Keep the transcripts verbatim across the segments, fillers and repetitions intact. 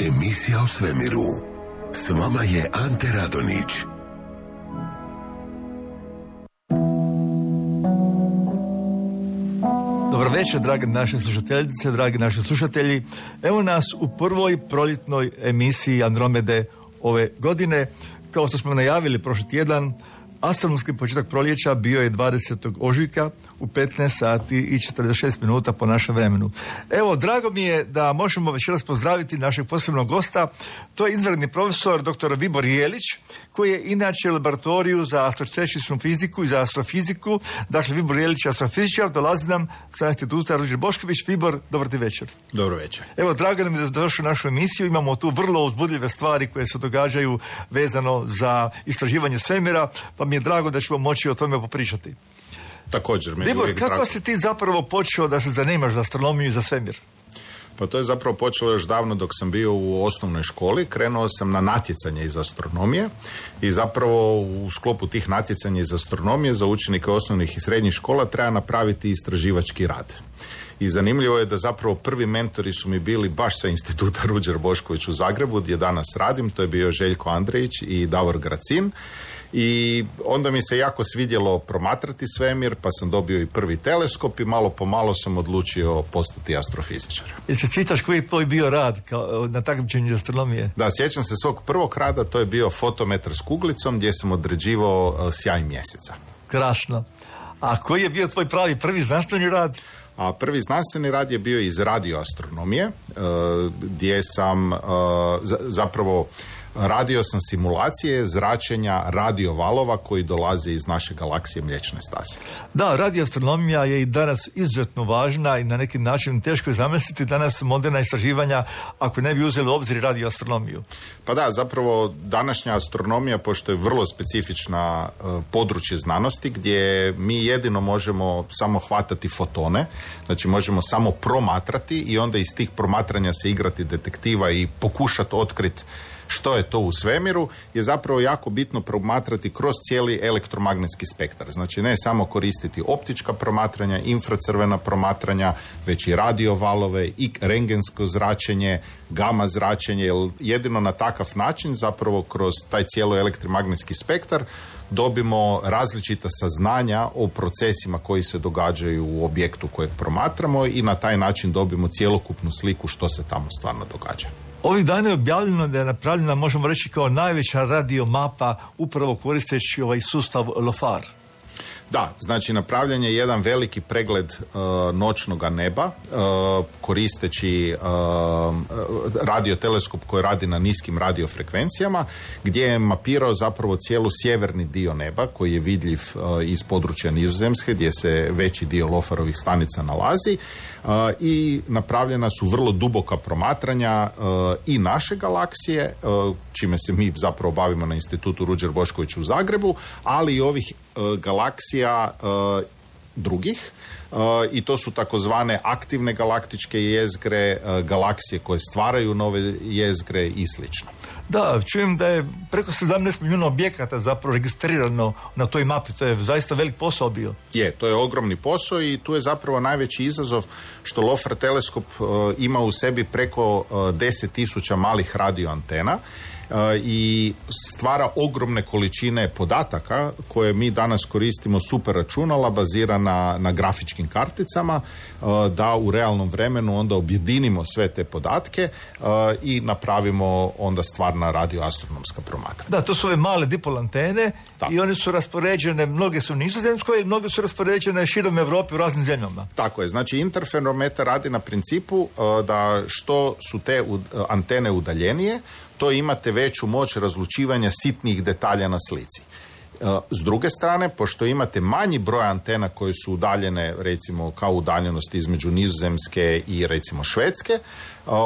Emisija o svemiru. S vama je Ante Radonić. Dobro večer, drage naše slušateljice, dragi naši slušatelji. Evo nas u prvoj proljetnoj emisiji Andromede ove godine. Kao što smo najavili prošli tjedan, astronomski početak proljeća bio je dvadesetog ožujka u petnaest sati i četrdeset šest minuta po našem vremenu. Evo, drago mi je da možemo večeras pozdraviti našeg posebnog gosta. To je izvanredni profesor doktor Vibor Jelić, koji je inače u laboratoriju za astročešičnu fiziku i za astrofiziku. Dakle, Vibor Jelić je astrofizičar, dolazi nam sa instituta Ruđer Bošković. Vibor, dobar ti večer. Dobro večer. Evo, drago nam je da ste došli u našu emisiju. Imamo tu vrlo uzbudljive stvari koje se događaju vezano za istraživanje svemira, pa mi je drago da ćemo moći o tome popričati. Također, meni Vibor, uvijek kako drago. si ti zapravo počeo da se zanimaš za astronomiju i za svemir? Pa to je zapravo počelo još davno dok sam bio u osnovnoj školi. Krenuo sam na natjecanje iz astronomije i zapravo u sklopu tih natjecanja iz astronomije za učenike osnovnih i srednjih škola treba napraviti istraživački rad. I zanimljivo je da zapravo prvi mentori su mi bili baš sa instituta Ruđer Bošković u Zagrebu, gdje danas radim. To je bio Željko Andrejić i Davor Gracin. I onda mi se jako svidjelo promatrati svemir, pa sam dobio i prvi teleskop i malo po malo sam odlučio postati astrofizičar. Jel se sjećaš koji je tvoj bio rad kao na takmičenju astronomije? Da, sjećam se svog prvog rada, to je bio fotometar s kuglicom gdje sam određivao uh, sjaj mjeseca. Krasno. A koji je bio tvoj pravi prvi znanstveni rad? A prvi znanstveni rad je bio iz radioastronomije, uh, gdje sam uh, z- zapravo radio sam simulacije zračenja radiovalova koji dolaze iz naše galaksije Mliječne staze. Da, radioastronomija je i danas izuzetno važna i na neki način teško je zamisliti danas moderna istraživanja ako ne bi uzeli u obzir radioastronomiju. Pa da, zapravo današnja astronomija, pošto je vrlo specifična uh, područje znanosti gdje mi jedino možemo samo hvatati fotone, znači možemo samo promatrati i onda iz tih promatranja se igrati detektiva i pokušati otkriti što je to u svemiru, je zapravo jako bitno promatrati kroz cijeli elektromagnetski spektar. Znači ne samo koristiti optička promatranja, infracrvena promatranja, već i radiovalove i rentgensko zračenje, gama zračenje, jer jedino na takav način zapravo kroz taj cijelo elektromagnetski spektar dobimo različita saznanja o procesima koji se događaju u objektu kojeg promatramo i na taj način dobimo cjelokupnu sliku što se tamo stvarno događa. Ovih dana je objavljeno da je napravljena, možemo reći, kao najveća radiomapa upravo koristeći ovaj sustav LOFAR. Da, znači napravljen je jedan veliki pregled uh, noćnoga neba uh, koristeći uh, radioteleskop koji radi na niskim radiofrekvencijama, gdje je mapirao zapravo cijelu sjeverni dio neba koji je vidljiv uh, iz područja Nizozemske gdje se veći dio LOFAR-ovih stanica nalazi uh, i napravljena su vrlo duboka promatranja uh, i naše galaksije, uh, čime se mi zapravo bavimo na institutu Ruđer Bošković u Zagrebu, ali i ovih galaksija uh, drugih uh, i to su takozvane aktivne galaktičke jezgre, uh, galaksije koje stvaraju nove jezgre i slično. Da, čujem da je preko sedamnaest milijuna objekata zapravo registrirano na toj mapi. To je zaista velik posao bio. Je, to je ogromni posao i tu je zapravo najveći izazov što LOFAR teleskop uh, ima u sebi preko uh, deset tisuća malih radioantena i stvara ogromne količine podataka koje mi danas koristimo super računala bazirana na grafičkim karticama da u realnom vremenu onda objedinimo sve te podatke i napravimo onda stvarna radioastronomska promatranja. Da, to su ove male dipol antene i one su raspoređene, mnoge su u Nizozemskoj, mnoge su raspoređene širom Europe u raznim zemljama. Tako je, znači interferometar radi na principu da što su te antene udaljenije, to imate veću moć razlučivanja sitnih detalja na slici. S druge strane, pošto imate manji broj antena koje su udaljene, recimo kao udaljenost između Nizozemske i recimo Švedske,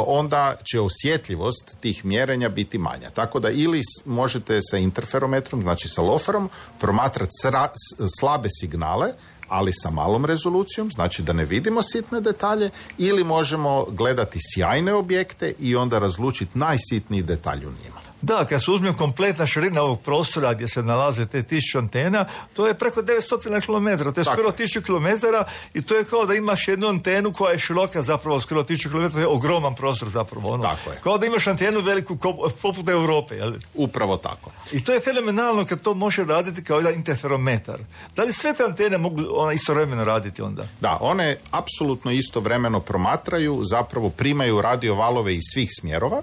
onda će osjetljivost tih mjerenja biti manja. Tako da ili možete sa interferometrom, znači sa LOFAR-om, promatrati sra- slabe signale, ali sa malom rezolucijom, znači da ne vidimo sitne detalje, ili možemo gledati sjajne objekte i onda razlučiti najsitniji detalj u njima. Da, kad se uzme kompletna širina ovog prostora gdje se nalaze te tisuću antena, to je preko devetsto kilometara, to je skoro tisuću kilometara i to je kao da imaš jednu antenu koja je široka zapravo skoro tisuću kilometara, to je ogroman prostor zapravo. Ono. Tako je. Kao da imaš antenu veliku poput Europe. Jel? Upravo tako. I to je fenomenalno kad to može raditi kao jedan interferometar. Da li sve te antene mogu ona istovremeno raditi onda? Da, one apsolutno istovremeno promatraju, zapravo primaju radiovalove iz svih smjerova.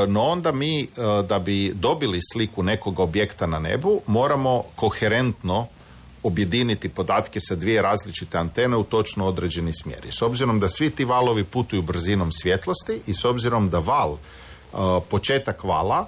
No onda mi, da bi dobili sliku nekog objekta na nebu, moramo koherentno objediniti podatke sa dvije različite antene u točno određeni smjer. I s obzirom da svi ti valovi putuju brzinom svjetlosti i s obzirom da val, početak vala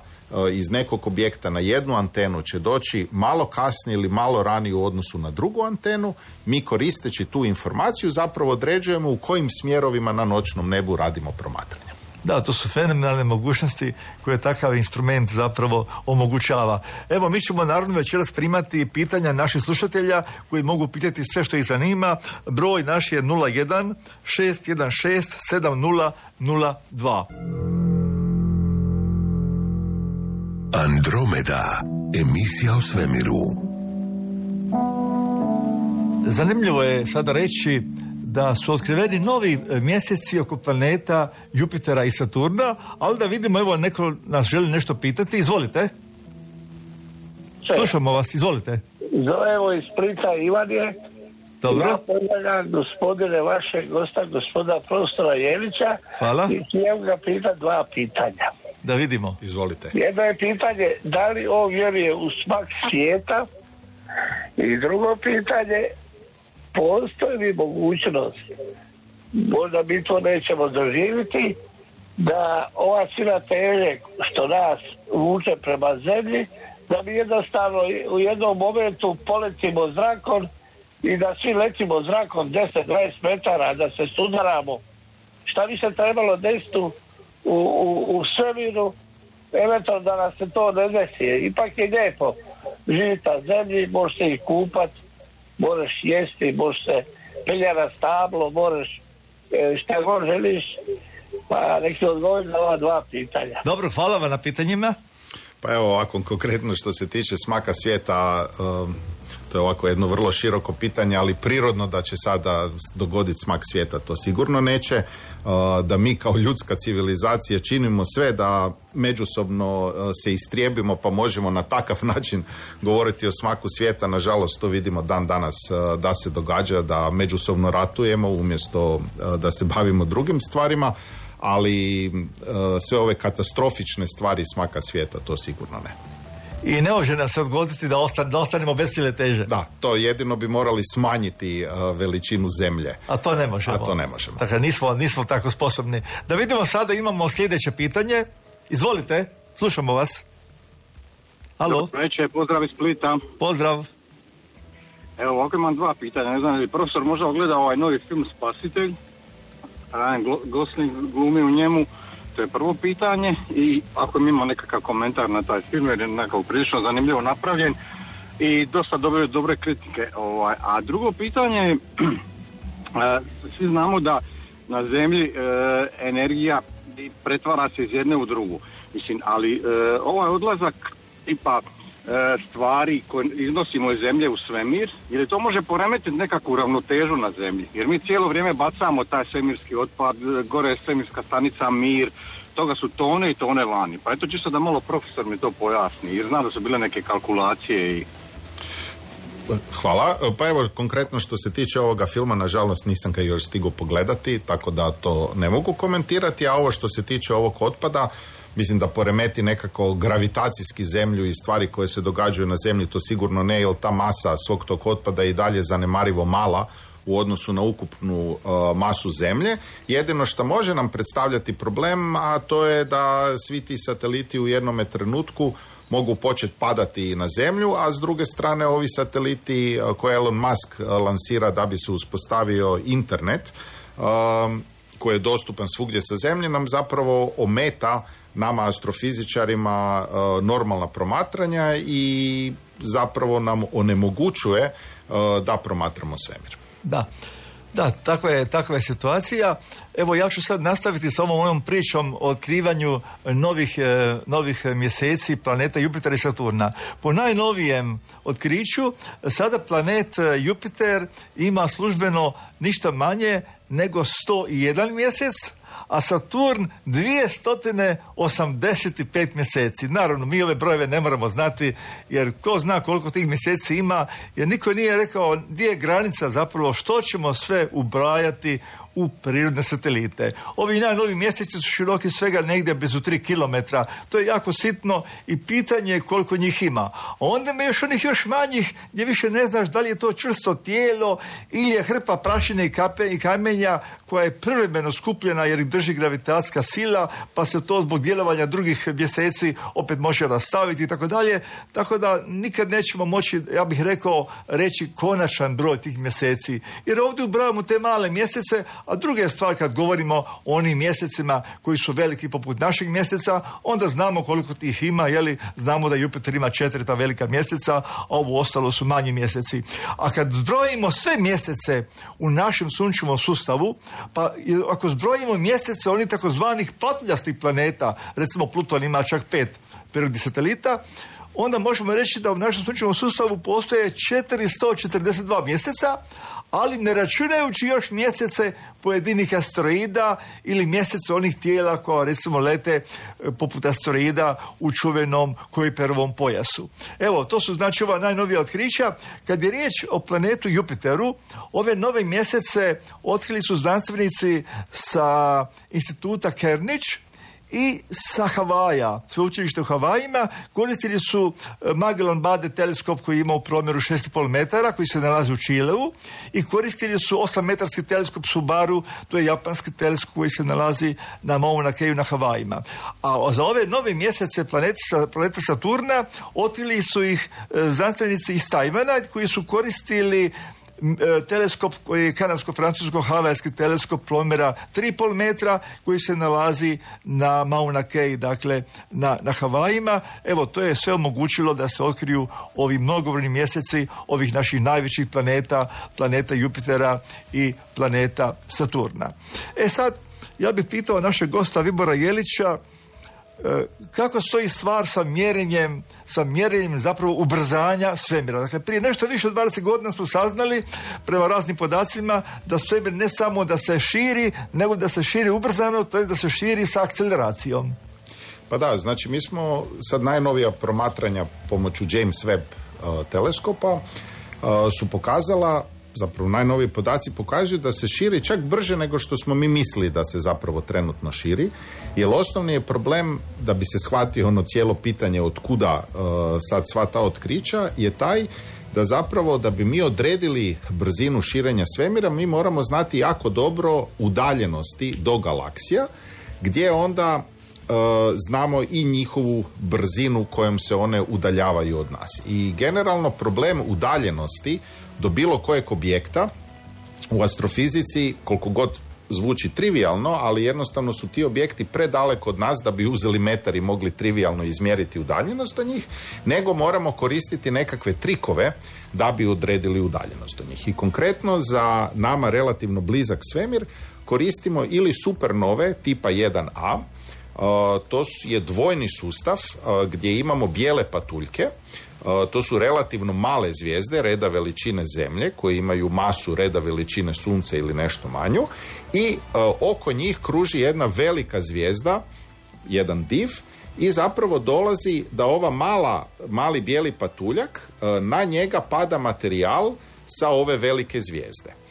iz nekog objekta na jednu antenu će doći malo kasnije ili malo ranije u odnosu na drugu antenu, mi koristeći tu informaciju zapravo određujemo u kojim smjerovima na noćnom nebu radimo promatranje. Da, to su fenomenalne mogućnosti koje takav instrument zapravo omogućava. Evo, mi ćemo naravno večeras primati pitanja naših slušatelja koji mogu pitati sve što ih zanima. Broj naš je nula jedan šest jedan šest sedam nula nula dva. Andromeda, emisija o svemiru. Zanimljivo je sada reći da su otkriveni novi mjeseci oko planeta Jupitera i Saturna, ali da vidimo, evo, neko nas želi nešto pitati. Izvolite. Sve. Slušamo vas, izvolite. Zovemo iz Splita, Ivan je. Dobro. Ja pozdravljam gospodine vašeg gosta, gospoda profesora Jelića. Hvala. I htio ga pitati dva pitanja. Da vidimo. Izvolite. Jedno je pitanje, da li on vjeruje u smak svijeta? I drugo pitanje, postoji li mogućnost, možda mi to nećemo doživjeti, da ova sila teže što nas vuče prema zemlji, da mi jednostavno u jednom momentu poletimo zrakom i da svi letimo zrakom deset do dvadeset metara, da se sudaramo. Šta bi se trebalo desiti u, u, u svemiru, eventualno da nas se to ne desi. Ipak je lijepo živjeti na zemlji, možeš se i kupati, možeš jesti, možeš se pelja na stablo, možeš šta god želiš, pa nek se odgovori na ova dva pitanja. Dobro, hvala vam na pitanjima. Pa evo ovako, konkretno što se tiče smaka svijeta, um, to je ovako jedno vrlo široko pitanje, ali prirodno da će sada dogoditi smak svijeta, to sigurno neće. Uh, da mi kao ljudska civilizacija činimo sve da međusobno uh, se istrijebimo, pa možemo na takav način govoriti o smaku svijeta. Nažalost, to vidimo dan danas uh, da se događa, da međusobno ratujemo umjesto uh, da se bavimo drugim stvarima, ali uh, sve ove katastrofične stvari smaka svijeta, to sigurno ne. I ne može nam se odgoditi da, ostan, da ostanemo bez sile teže. Da, to jedino bi morali smanjiti uh, veličinu zemlje. A to ne možemo. A to ne možemo. Dakle, nismo, nismo tako sposobni. Da vidimo sada, imamo sljedeće pitanje. Izvolite, slušamo vas. Halo. Dobro večer, pozdrav iz Splita. Pozdrav. Evo, ovako imam dva pitanja. Ne znam, je li profesor možda ogleda ovaj novi film Spasitelj? Ryan Gosling glumi u njemu. To je prvo pitanje. I ako mi imamo nekakav komentar na taj film, jer je nekako prilično zanimljivo napravljen i dosta dobre, dobre kritike. Ovaj. A drugo pitanje je, svi znamo da na zemlji e, energija pretvara se iz jedne u drugu. Mislim, ali e, ovaj odlazak tipa e, stvari koje iznosimo iz zemlje u svemir, ili to može poremetiti nekakvu ravnotežu na zemlji? Jer mi cijelo vrijeme bacamo taj svemirski otpad, gore je svemirska stanica Mir, toga su tone i tone vani. Pa eto, čisto da malo profesor mi to pojasni, jer znam da su bile neke kalkulacije i... Hvala. Pa evo, konkretno što se tiče ovoga filma, nažalost nisam ga još stigao pogledati, tako da to ne mogu komentirati, a ovo što se tiče ovog otpada, mislim da poremeti nekako gravitacijski zemlju i stvari koje se događaju na zemlji, to sigurno ne, jer ta masa svog tog otpada je i dalje zanemarivo mala u odnosu na ukupnu uh, masu zemlje. Jedino što može nam predstavljati problem, a to je da svi ti sateliti u jednome trenutku mogu početi padati na zemlju, a s druge strane ovi sateliti uh, koje Elon Musk uh, lansira da bi se uspostavio internet, uh, koji je dostupan svugdje sa zemlje, nam zapravo ometa nama astrofizičarima uh, normalna promatranja i zapravo nam onemogućuje uh, da promatramo svemir. Da. Da, takva je, takva je situacija. Evo, ja ću sad nastaviti s ovom mojom pričom o otkrivanju novih, e, novih mjeseci planeta Jupitera i Saturna. Po najnovijem otkriću, sada planet Jupiter ima službeno ništa manje nego sto jedan mjesec, a Saturn dvjesto osamdeset pet mjeseci. Naravno, mi ove brojeve ne moramo znati, jer ko zna koliko tih mjeseci ima, jer niko nije rekao gdje je granica zapravo, što ćemo sve ubrajati u prirodne satelite. Ovi najnovi mjeseci su široki svega negdje blizu tri kilometra. To je jako sitno i pitanje je koliko njih ima. A onda ima još onih još manjih gdje više ne znaš da li je to čvrsto tijelo ili je hrpa prašine i, kape, i kamenja koja je privremeno skupljena jer ih drži gravitacijska sila, pa se to zbog djelovanja drugih mjeseci opet može rastaviti i tako dalje. Tako da nikad nećemo moći, ja bih rekao, reći konačan broj tih mjeseci. Jer ovdje ubrajamo te male mjesece, a druga je stvar kad govorimo o onim mjesecima koji su veliki poput našeg mjeseca, onda znamo koliko tih ima, jeli, znamo da Jupiter ima četiri ta velika mjeseca, a ovo ostalo su manji mjeseci. A kad zbrojimo sve mjesece u našem sunčevom sustavu, pa ako zbrojimo mjesece onih takozvanih patuljastih planeta, recimo Pluton ima čak pet prirodnih satelita, onda možemo reći da u našem sunčevom sustavu postoje četiristo četrdeset dva mjeseca, ali ne računajući još mjesece pojedinih asteroida ili mjesece onih tijela koja recimo lete poput asteroida u čuvenom Kuiperovom pojasu. Evo, to su znači ova najnovija otkrića. Kad je riječ o planetu Jupiteru, ove nove mjesece otkrili su znanstvenici sa instituta Kernić i sa Havaja, sveučilište u Havajima. Koristili su Magellan-Bade teleskop koji ima u promjeru šest i pol metara, koji se nalazi u Čileu, i koristili su osam metarski teleskop Subaru, to je japanski teleskop koji se nalazi na Mauna Keu na Havajima. A za ove nove mjesece planete, planeta Saturna otkrili su ih znanstvenici iz Tajvana koji su koristili teleskop koji je kanadsko-francusko-havajski teleskop promjera tri i pol metra koji se nalazi na Mauna Kea, dakle na, na Havajima. Evo, to je sve omogućilo da se otkriju ovi mnogobrojni mjeseci ovih naših najvećih planeta, planeta Jupitera i planeta Saturna. E sad, ja bih pitao našeg gosta Vibora Jelića kako stoji stvar sa mjerenjem, sa mjerenjem zapravo ubrzanja svemira. Dakle, prije nešto više od dvadeset godina smo saznali, prema raznim podacima, da svemir ne samo da se širi, nego da se širi ubrzano, to je da se širi sa akceleracijom. Pa da, znači mi smo sad najnovija promatranja pomoću James Webb uh, teleskopa uh, su pokazala, zapravo najnoviji podaci pokazuju da se širi čak brže nego što smo mi mislili da se zapravo trenutno širi, jer osnovni je problem, da bi se shvatio ono cijelo pitanje od kuda uh, sad sva ta otkrića, je taj da zapravo da bi mi odredili brzinu širenja svemira, mi moramo znati jako dobro udaljenosti do galaksija, gdje onda uh, znamo i njihovu brzinu kojom se one udaljavaju od nas. I generalno problem udaljenosti do bilo kojeg objekta u astrofizici, koliko god zvuči trivijalno, ali jednostavno su ti objekti predaleko od nas da bi uzeli metar i mogli trivijalno izmjeriti udaljenost do njih, nego moramo koristiti nekakve trikove da bi odredili udaljenost do njih. I konkretno za nama relativno blizak svemir koristimo ili supernove tipa jedan a, uh, to je dvojni sustav uh, gdje imamo bijele patuljke. Uh, to su relativno male zvijezde reda veličine Zemlje koje imaju masu reda veličine Sunca ili nešto manju i uh, oko njih kruži jedna velika zvijezda, jedan div, i zapravo dolazi da ova mala, mali bijeli patuljak, uh, na njega pada materijal sa ove velike zvijezde.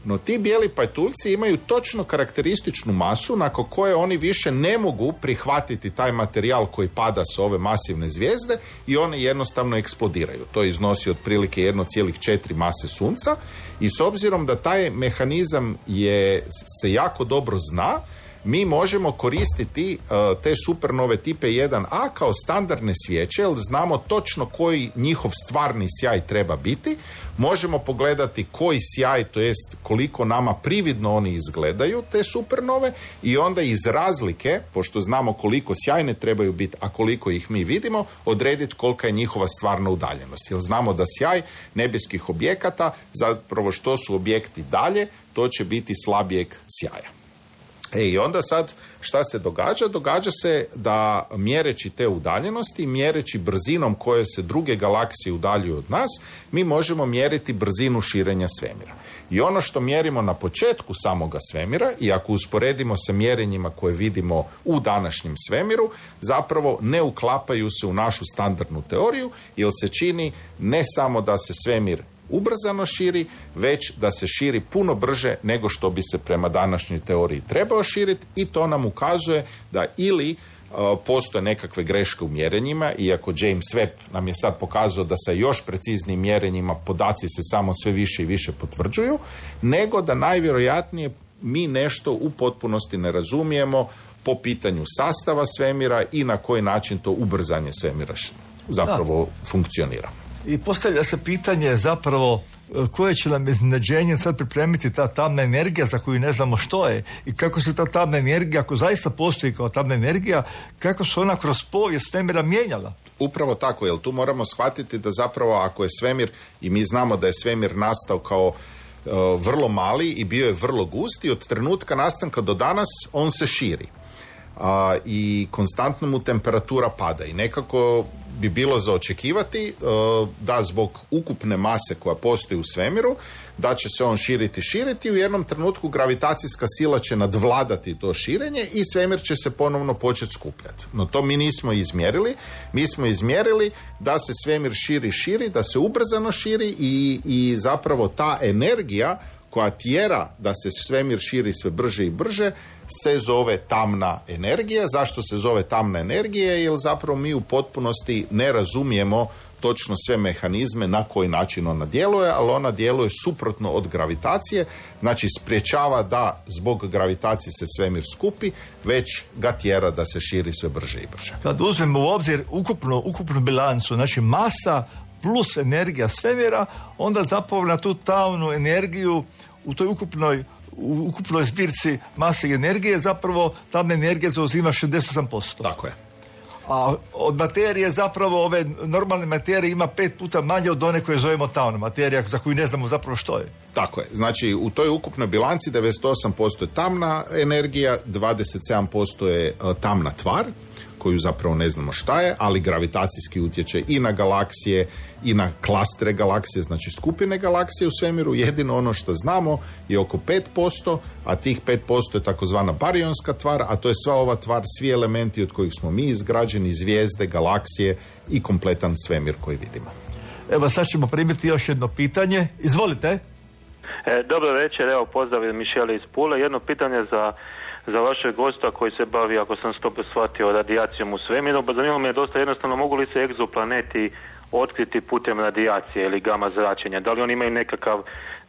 No ti bijeli patuljci imaju točno karakterističnu masu nakon koje oni više ne mogu prihvatiti taj materijal koji pada s ove masivne zvijezde i one jednostavno eksplodiraju. To iznosi otprilike jedna zarez četiri mase Sunca i s obzirom da taj mehanizam je, se jako dobro zna, mi možemo koristiti uh, te supernove tipe jedan a kao standardne svijeće, jer znamo točno koji njihov stvarni sjaj treba biti. Možemo pogledati koji sjaj, to jest koliko nama prividno oni izgledaju, te supernove, i onda iz razlike, pošto znamo koliko sjajne trebaju biti, a koliko ih mi vidimo, odrediti kolika je njihova stvarna udaljenost. Jer znamo da sjaj nebeskih objekata, zapravo što su objekti dalje, to će biti slabijeg sjaja. E i onda sad šta se događa? Događa se da mjereći te udaljenosti, mjereći brzinom koje se druge galaksije udaljuju od nas, mi možemo mjeriti brzinu širenja svemira. I ono što mjerimo na početku samoga svemira, i ako usporedimo sa mjerenjima koje vidimo u današnjem svemiru, zapravo ne uklapaju se u našu standardnu teoriju, jer se čini ne samo da se svemir ubrzano širi, već da se širi puno brže nego što bi se prema današnjoj teoriji trebao širiti, i to nam ukazuje da ili uh, postoje nekakve greške u mjerenjima, iako James Webb nam je sad pokazao da sa još preciznijim mjerenjima podaci se samo sve više i više potvrđuju, nego da najvjerojatnije mi nešto u potpunosti ne razumijemo po pitanju sastava svemira i na koji način to ubrzanje svemira zapravo da. funkcionira. I postavlja se pitanje zapravo koje će nam iznenađenje sad pripremiti ta tamna energija za koju ne znamo što je i kako se ta tamna energija, ako zaista postoji kao tamna energija, kako se ona kroz povijest svemira mijenjala. Upravo tako, jer tu moramo shvatiti da zapravo ako je svemir, i mi znamo da je svemir nastao kao uh, vrlo mali i bio je vrlo gust, i od trenutka nastanka do danas on se širi. Uh, i konstantno mu temperatura pada i nekako bi bilo za očekivati uh, da zbog ukupne mase koja postoji u svemiru, da će se on širiti, širiti, u jednom trenutku gravitacijska sila će nadvladati to širenje i svemir će se ponovno početi skupljati. No to mi nismo izmjerili. Mi smo izmjerili da se svemir širi, širi, da se ubrzano širi i, i zapravo ta energija koja tjera da se svemir širi sve brže i brže se zove tamna energija. Zašto se zove tamna energija? Jer zapravo mi u potpunosti ne razumijemo točno sve mehanizme na koji način ona djeluje, ali ona djeluje suprotno od gravitacije, znači spriječava da zbog gravitacije se svemir skupi, već ga tjera da se širi sve brže i brže. Kad uzmemo u obzir ukupnu, ukupnu bilancu, znači masa plus energija svemira, onda zapravo na tu tamnu energiju u toj ukupnoj u ukupnoj zbirci mase i energije zapravo tamna energija zauzima šezdeset osam posto. Tako je. A od materije zapravo ove normalne materije ima pet puta manje od one koje zovemo tamna materija, za koju ne znamo zapravo što je. Tako je. Znači u toj ukupnoj bilanci devedeset osam posto je tamna energija, dvadeset sedam posto je tamna tvar, koju zapravo ne znamo šta je, ali gravitacijski utječe i na galaksije i na klastere galaksije, znači skupine galaksije u svemiru. Jedino ono što znamo je oko pet posto, a tih pet posto je takozvana barionska tvar, a to je sva ova tvar, svi elementi od kojih smo mi izgrađeni, zvijezde, galaksije i kompletan svemir koji vidimo. Evo sad ćemo primiti još jedno pitanje. Izvolite. E, dobro večer, evo pozdrav Mišele iz Pule. Jedno pitanje za za vašeg gosta koji se bavi, ako sam to shvatio, radijacijom u svemiru. Zanima me je dosta jednostavno, mogu li se egzoplaneti otkriti putem radijacije ili gama zračenja? Da li oni imaju nekakav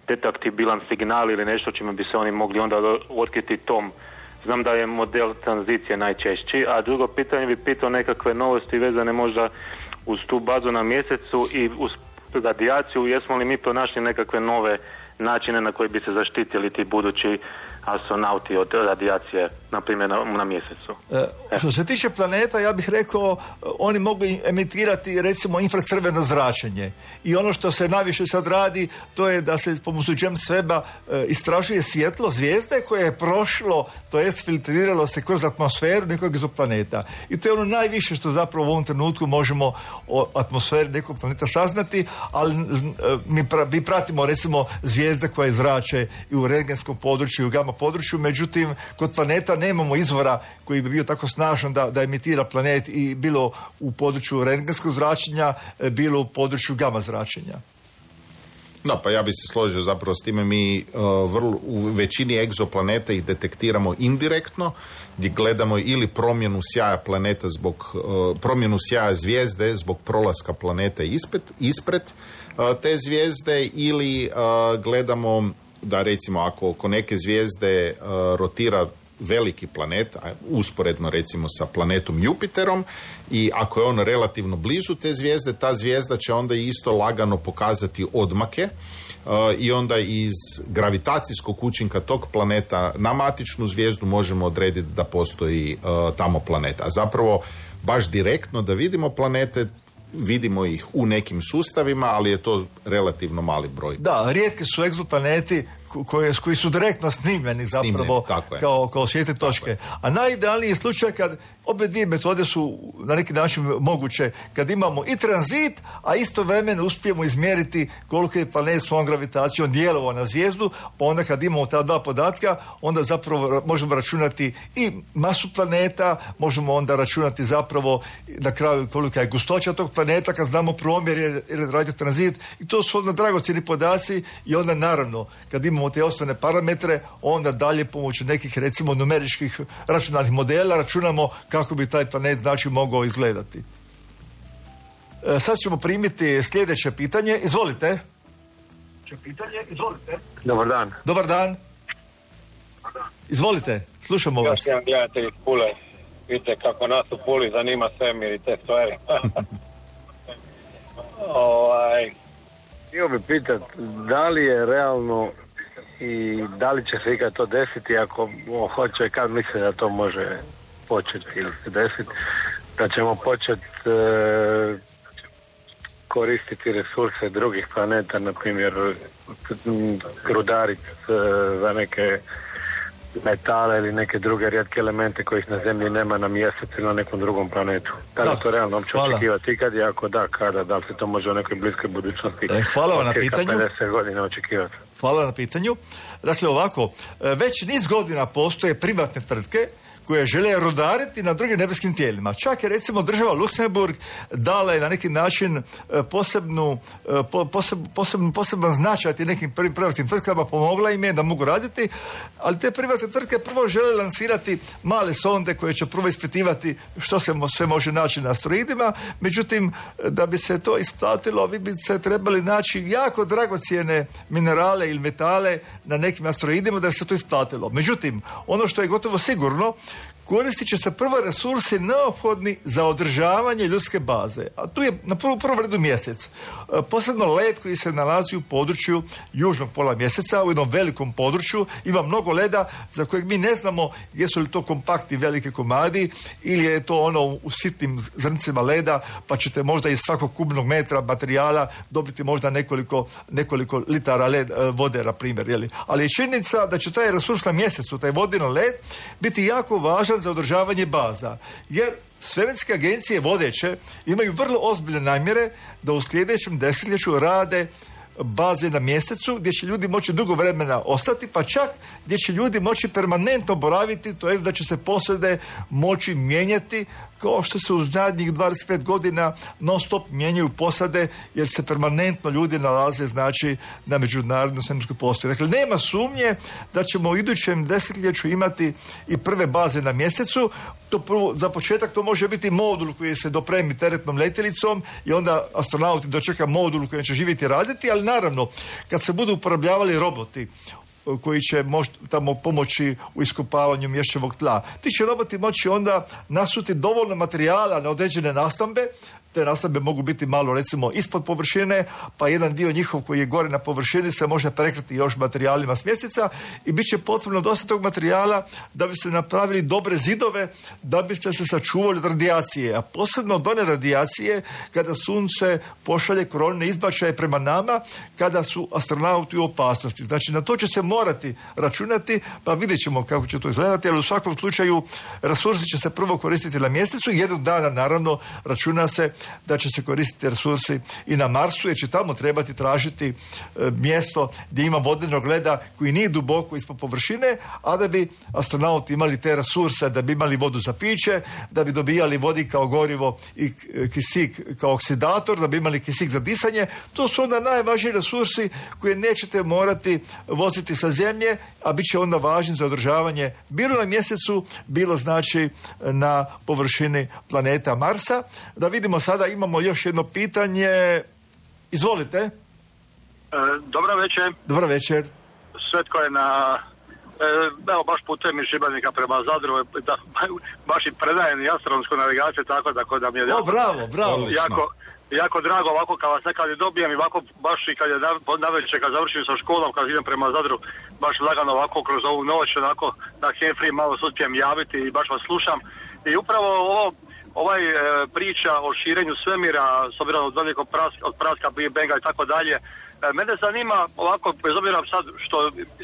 detektibilan signal ili nešto čime bi se oni mogli onda otkriti tom? Znam da je model tranzicije najčešći, a drugo pitanje bi pitao nekakve novosti vezane možda uz tu bazu na mjesecu i uz radijaciju. Jesmo li mi pronašli nekakve nove načine na koji bi se zaštitili ti budući astronauti od radijacije, na primjer na, na mjesecu? E, što se tiče planeta, ja bih rekao, oni mogu emitirati recimo infracrveno zračenje. I ono što se najviše sad radi, to je da se pomoću James Webba e, istražuje svjetlo zvijezde koje je prošlo, to jest filtriralo se kroz atmosferu nekog egzoplaneta. I to je ono najviše što zapravo u ovom trenutku možemo o atmosferi nekog planeta saznati, ali e, mi, pra, mi pratimo recimo zvijezde koje zrače i u rentgenskom području i u gama području, međutim kod planeta nemamo izvora koji bi bio tako snažan da, da emitira planet i bilo u području rentgenskog zračenja, bilo u području gama zračenja. No, pa ja bi se složio zapravo s time. Mi uh, vrlo, u većini egzoplaneta ih detektiramo indirektno, gdje gledamo ili promjenu sjaja planeta zbog uh, promjenu sjaja zvijezde zbog prolaska planeta ispred, ispred uh, te zvijezde, ili uh, gledamo da recimo ako oko neke zvijezde uh, rotira veliki planet, usporedno recimo sa planetom Jupiterom, i ako je on relativno blizu te zvijezde, ta zvijezda će onda isto lagano pokazati odmake uh, i onda iz gravitacijskog učinka tog planeta na matičnu zvijezdu možemo odrediti da postoji uh, tamo planet. A zapravo baš direktno da vidimo planete, vidimo ih u nekim sustavima, ali je to relativno mali broj. Da, rijetki su egzoplaneti koje, koji su direktno snimljeni zapravo Snimljeni, kao, kao svjetne točke. A najidealniji je slučaj kad obje dvije metode su na neki način moguće, kad imamo i tranzit, a istovremeno uspijemo izmjeriti koliko je planet svojom gravitacijom djelovao na zvijezdu, pa onda kad imamo ta dva podatka, onda zapravo možemo računati i masu planeta, možemo onda računati zapravo na kraju kolika je gustoća tog planeta, kad znamo promjer jer radio tranzit, i to su onda dragocjeni podaci, i onda naravno kad imamo te osnovne parametre, onda dalje pomoću nekih recimo numeričkih računalnih modela računamo kako bi taj planet znači mogao izgledati. E, sad ćemo primiti sljedeće pitanje. Izvolite. Pitanje, izvolite. Dobar dan. Dobar dan. Izvolite, slušamo vas. Još jedan gledatelj iz Pule. Vidite kako nas u Puli zanima svemir i te stvari. ovaj, htio bi pitat, da li je realno i da li će se ikad to desiti, ako hoće, kad misle da to može početi ili se desiti, da ćemo početi e, koristiti resurse drugih planeta, na primjer rudariti e, za neke metale ili neke druge rijetke elemente kojih na Zemlji nema na mjesecu ili na nekom drugom planetu. Da li da, to realno uopće očekivati ikad, i ako da, kada, da li se to može u nekoj bliskoj budućnosti? E, hvala vam na pitanju. pedeset godina očekivati. Hvala na pitanju. Dakle, ovako, već niz godina postoje privatne tvrtke koje žele rudariti na drugim nebeskim tijelima. Čak je recimo država Luksemburg dala je na neki način posebnu, poseb, posebnu, poseban značaj tim nekim privatnim tvrtkama, pomogla im je da mogu raditi, ali te privatne tvrtke prvo žele lansirati male sonde koje će prvo ispitivati što se sve može naći na asteroidima, međutim, da bi se to isplatilo, vi bi se trebali naći jako dragocjene minerale ili metale na nekim asteroidima da bi se to isplatilo. Međutim, ono što je gotovo sigurno, koristit će se prvo resursi neophodni za održavanje ljudske baze. A tu je na prvom prvom redu mjesec. E, posebno led koji se nalazi u području južnog pola mjeseca, u jednom velikom području. Ima mnogo leda za kojeg mi ne znamo jesu li to kompaktni velike komadi ili je to ono u sitnim zrncima leda, pa ćete možda iz svakog kubnog metra materijala dobiti možda nekoliko, nekoliko litara led, vode, na primjer. Jeli? Ali je činjenica da će taj resurs na mjesecu, taj vodeni led, biti jako važan za održavanje baza, jer svemirske agencije vodeće imaju vrlo ozbiljne namjere da u sljedećem desetljeću rade baze na mjesecu gdje će ljudi moći dugo vremena ostati, pa čak gdje će ljudi moći permanentno boraviti, to je da će se posade moći mijenjati kao što se u zadnjih dvadeset pet godina non stop mijenjaju posade jer se permanentno ljudi nalaze znači na međunarodnoj svemirskoj postaji. Dakle, nema sumnje da ćemo u idućem desetljeću imati i prve baze na mjesecu. To prvo, za početak to može biti modul koji se dopremi teretnom letjelicom i onda astronauti dočeka modul koji će živjeti i raditi, ali naravno kad se budu uporabljavali roboti koji će moć, tamo pomoći u iskopavanju mješćevog tla. Ti će roboti moći onda nasuti dovoljno materijala na određene nastambe. Te nastambe mogu biti malo recimo ispod površine, pa jedan dio njihov koji je gore na površini se može prekriti još materijalima s mjeseca i bit će potrebno dosta tog materijala da bi se napravili dobre zidove, da biste se sačuvali od radijacije, a posebno od one radijacije kada sunce pošalje koronne izbačaje prema nama, kada su astronauti u opasnosti. Znači, na to će se morati računati, pa vidjet ćemo kako će to izgledati, ali u svakom slučaju resursi će se prvo koristiti na mjesecu i jednog dana, naravno, računa se da će se koristiti resursi i na Marsu, jer će tamo trebati tražiti e, mjesto gdje ima vodenog leda koji nije duboko ispod površine, a da bi astronauti imali te resurse, da bi imali vodu za piće, da bi dobijali vodik kao gorivo i kisik kao oksidator, da bi imali kisik za disanje. To su onda najvažniji resursi koje nećete morati voziti sa Zemlje, a bit će onda važni za održavanje bilo na mjesecu, bilo znači na površini planeta Marsa. Da vidimo sada, imamo još jedno pitanje. Izvolite. E, dobro večer. Dobro večer. Svetko je na... E, evo, baš putujem iz Šibenika prema Zadru, da, baš i predajem i astronomsku navigaciju, tako da, da mi je... O, bravo, bravo. Jako, jako drago ovako kad vas nekad i dobijem i ovako baš i kad je na večer, kad završim sa školom, kad idem prema Zadru, baš lagano ovako kroz ovu noć, onako na Game Free malo se uspijem javiti i baš vas slušam. I upravo ovo, ovaj e, priča o širenju svemira, s obzirom od velikog praska, od praska Big Banga i tako dalje, E, mene zanima ovako, bez obzira sad što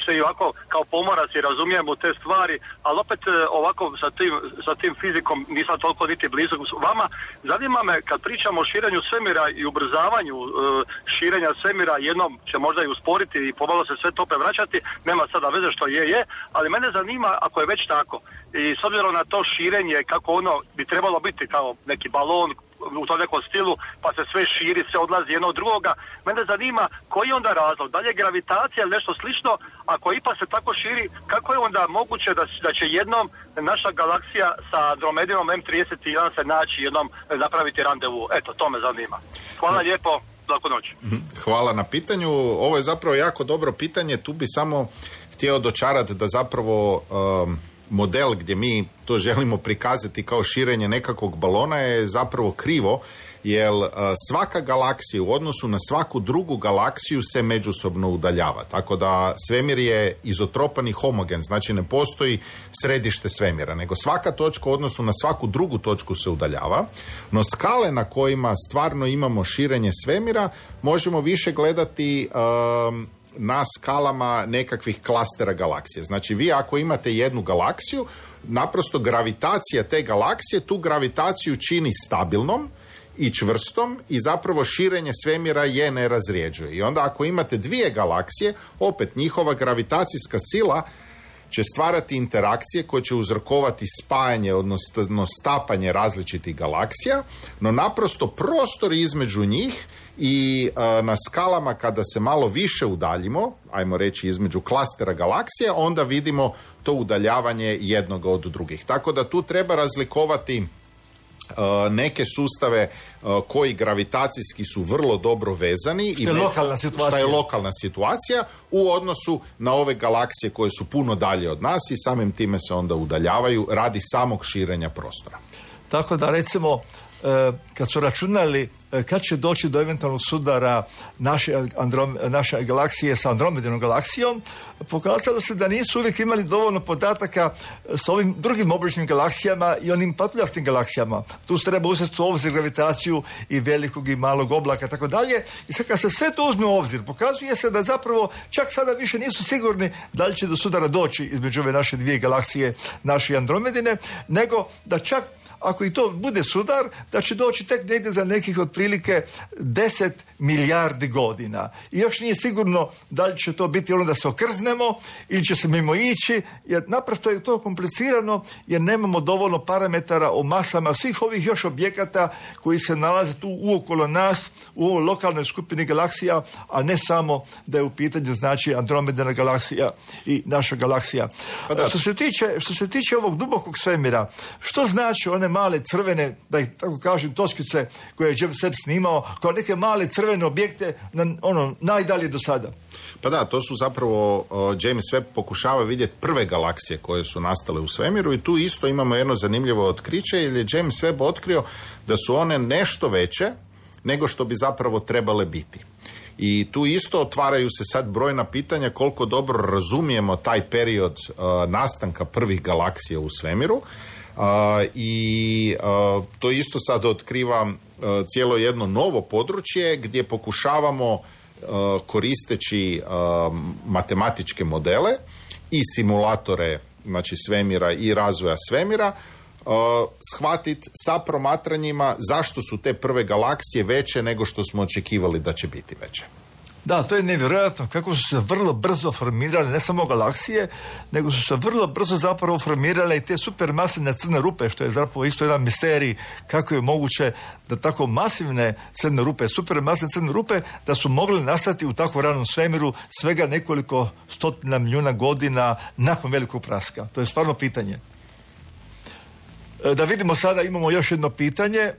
se i ovako kao pomorac i razumijem u te stvari, ali opet e, ovako sa tim, sa tim fizikom nisam toliko niti blizu vama. Zanima me kad pričamo o širenju svemira i ubrzavanju e, širenja svemira, jednom će možda i usporiti i pomalo se sve to prevraćati, nema sada veze što je, je, ali mene zanima ako je već tako i s obzirom na to širenje kako ono bi trebalo biti kao neki balon u tom nekom stilu, pa se sve širi, sve odlazi jedno od drugoga. Mene zanima koji je onda razlog, da li je gravitacija ili nešto slično, ako ipak se tako širi, kako je onda moguće da, da će jednom naša galaksija sa Andromedinom em trideset jedan se naći jednom napraviti randevu? Eto, to me zanima. Hvala lijepo, laku noć. Hvala na pitanju. Ovo je zapravo jako dobro pitanje, tu bi samo htio dočarati da zapravo um, model gdje mi to želimo prikazati kao širenje nekakvog balona je zapravo krivo, jer uh, svaka galaksija u odnosu na svaku drugu galaksiju se međusobno udaljava. Tako da svemir je izotropan i homogen, znači ne postoji središte svemira, nego svaka točka u odnosu na svaku drugu točku se udaljava. No skale na kojima stvarno imamo širenje svemira možemo više gledati um, na skalama nekakvih klastera galaksije. Znači vi ako imate jednu galaksiju, naprosto gravitacija te galaksije tu gravitaciju čini stabilnom i čvrstom i zapravo širenje svemira je ne razrjeđuje. I onda ako imate dvije galaksije, opet njihova gravitacijska sila će stvarati interakcije koje će uzrokovati spajanje, odnosno stapanje različitih galaksija, no naprosto prostor između njih i a, na skalama kada se malo više udaljimo, ajmo reći između klastera galaksije, onda vidimo to udaljavanje jednog od drugih. Tako da tu treba razlikovati a, neke sustave a, koji gravitacijski su vrlo dobro vezani što je, i lokalna šta je lokalna situacija u odnosu na ove galaksije koje su puno dalje od nas i samim time se onda udaljavaju radi samog širenja prostora. Tako da recimo kad su računali kad će doći do eventualnog sudara naše, Androm, naše galaksije sa Andromedinom galaksijom, pokazalo se da nisu uvijek imali dovoljno podataka s ovim drugim obličnim galaksijama i onim patuljastim galaksijama. Tu se treba uzeti u obzir gravitaciju i velikog i malog oblaka tako dalje. I sad kad se sve to uzme u obzir, pokazuje se da zapravo čak sada više nisu sigurni da li će do sudara doći između ove naše dvije galaksije, naše Andromedine, nego da čak ako i to bude sudar, da će doći tek negdje za nekih otprilike deset milijardi godina. I još nije sigurno da li će to biti ono da se okrznemo ili će se mimo ići, jer naprosto je to komplicirano, jer nemamo dovoljno parametara o masama svih ovih još objekata koji se nalaze tu uokolo nas, u ovoj lokalnoj skupini galaksija, a ne samo da je u pitanju znači Andromedina galaksija i naša galaksija. Pa što se tiče, što se tiče ovog dubokog svemira, što znači one male crvene, da ih tako kažem, točkice koje je James Webb snimao, kao neke male crvene objekte na, ono, najdalje do sada? Pa da, to su zapravo uh, James Webb pokušava vidjeti prve galaksije koje su nastale u svemiru i tu isto imamo jedno zanimljivo otkriće, jer je James Webb otkrio da su one nešto veće nego što bi zapravo trebale biti. I tu isto otvaraju se sad brojna pitanja koliko dobro razumijemo taj period uh, nastanka prvih galaksija u svemiru. Uh, i uh, to isto sad otkriva uh, cijelo jedno novo područje gdje pokušavamo uh, koristeći uh, matematičke modele i simulatore znači svemira i razvoja svemira uh, shvatiti sa promatranjima zašto su te prve galaksije veće nego što smo očekivali da će biti veće. Da, to je nevjerojatno kako su se vrlo brzo formirale ne samo galaksije, nego su se vrlo brzo zapravo formirale i te supermasivne crne rupe, što je zapravo isto jedan misterij kako je moguće da tako masivne crne rupe, supermasivne crne rupe, da su mogle nastati u tako ranom svemiru svega nekoliko stotina milijuna godina nakon velikog praska. To je stvarno pitanje. Da vidimo sada, imamo još jedno pitanje.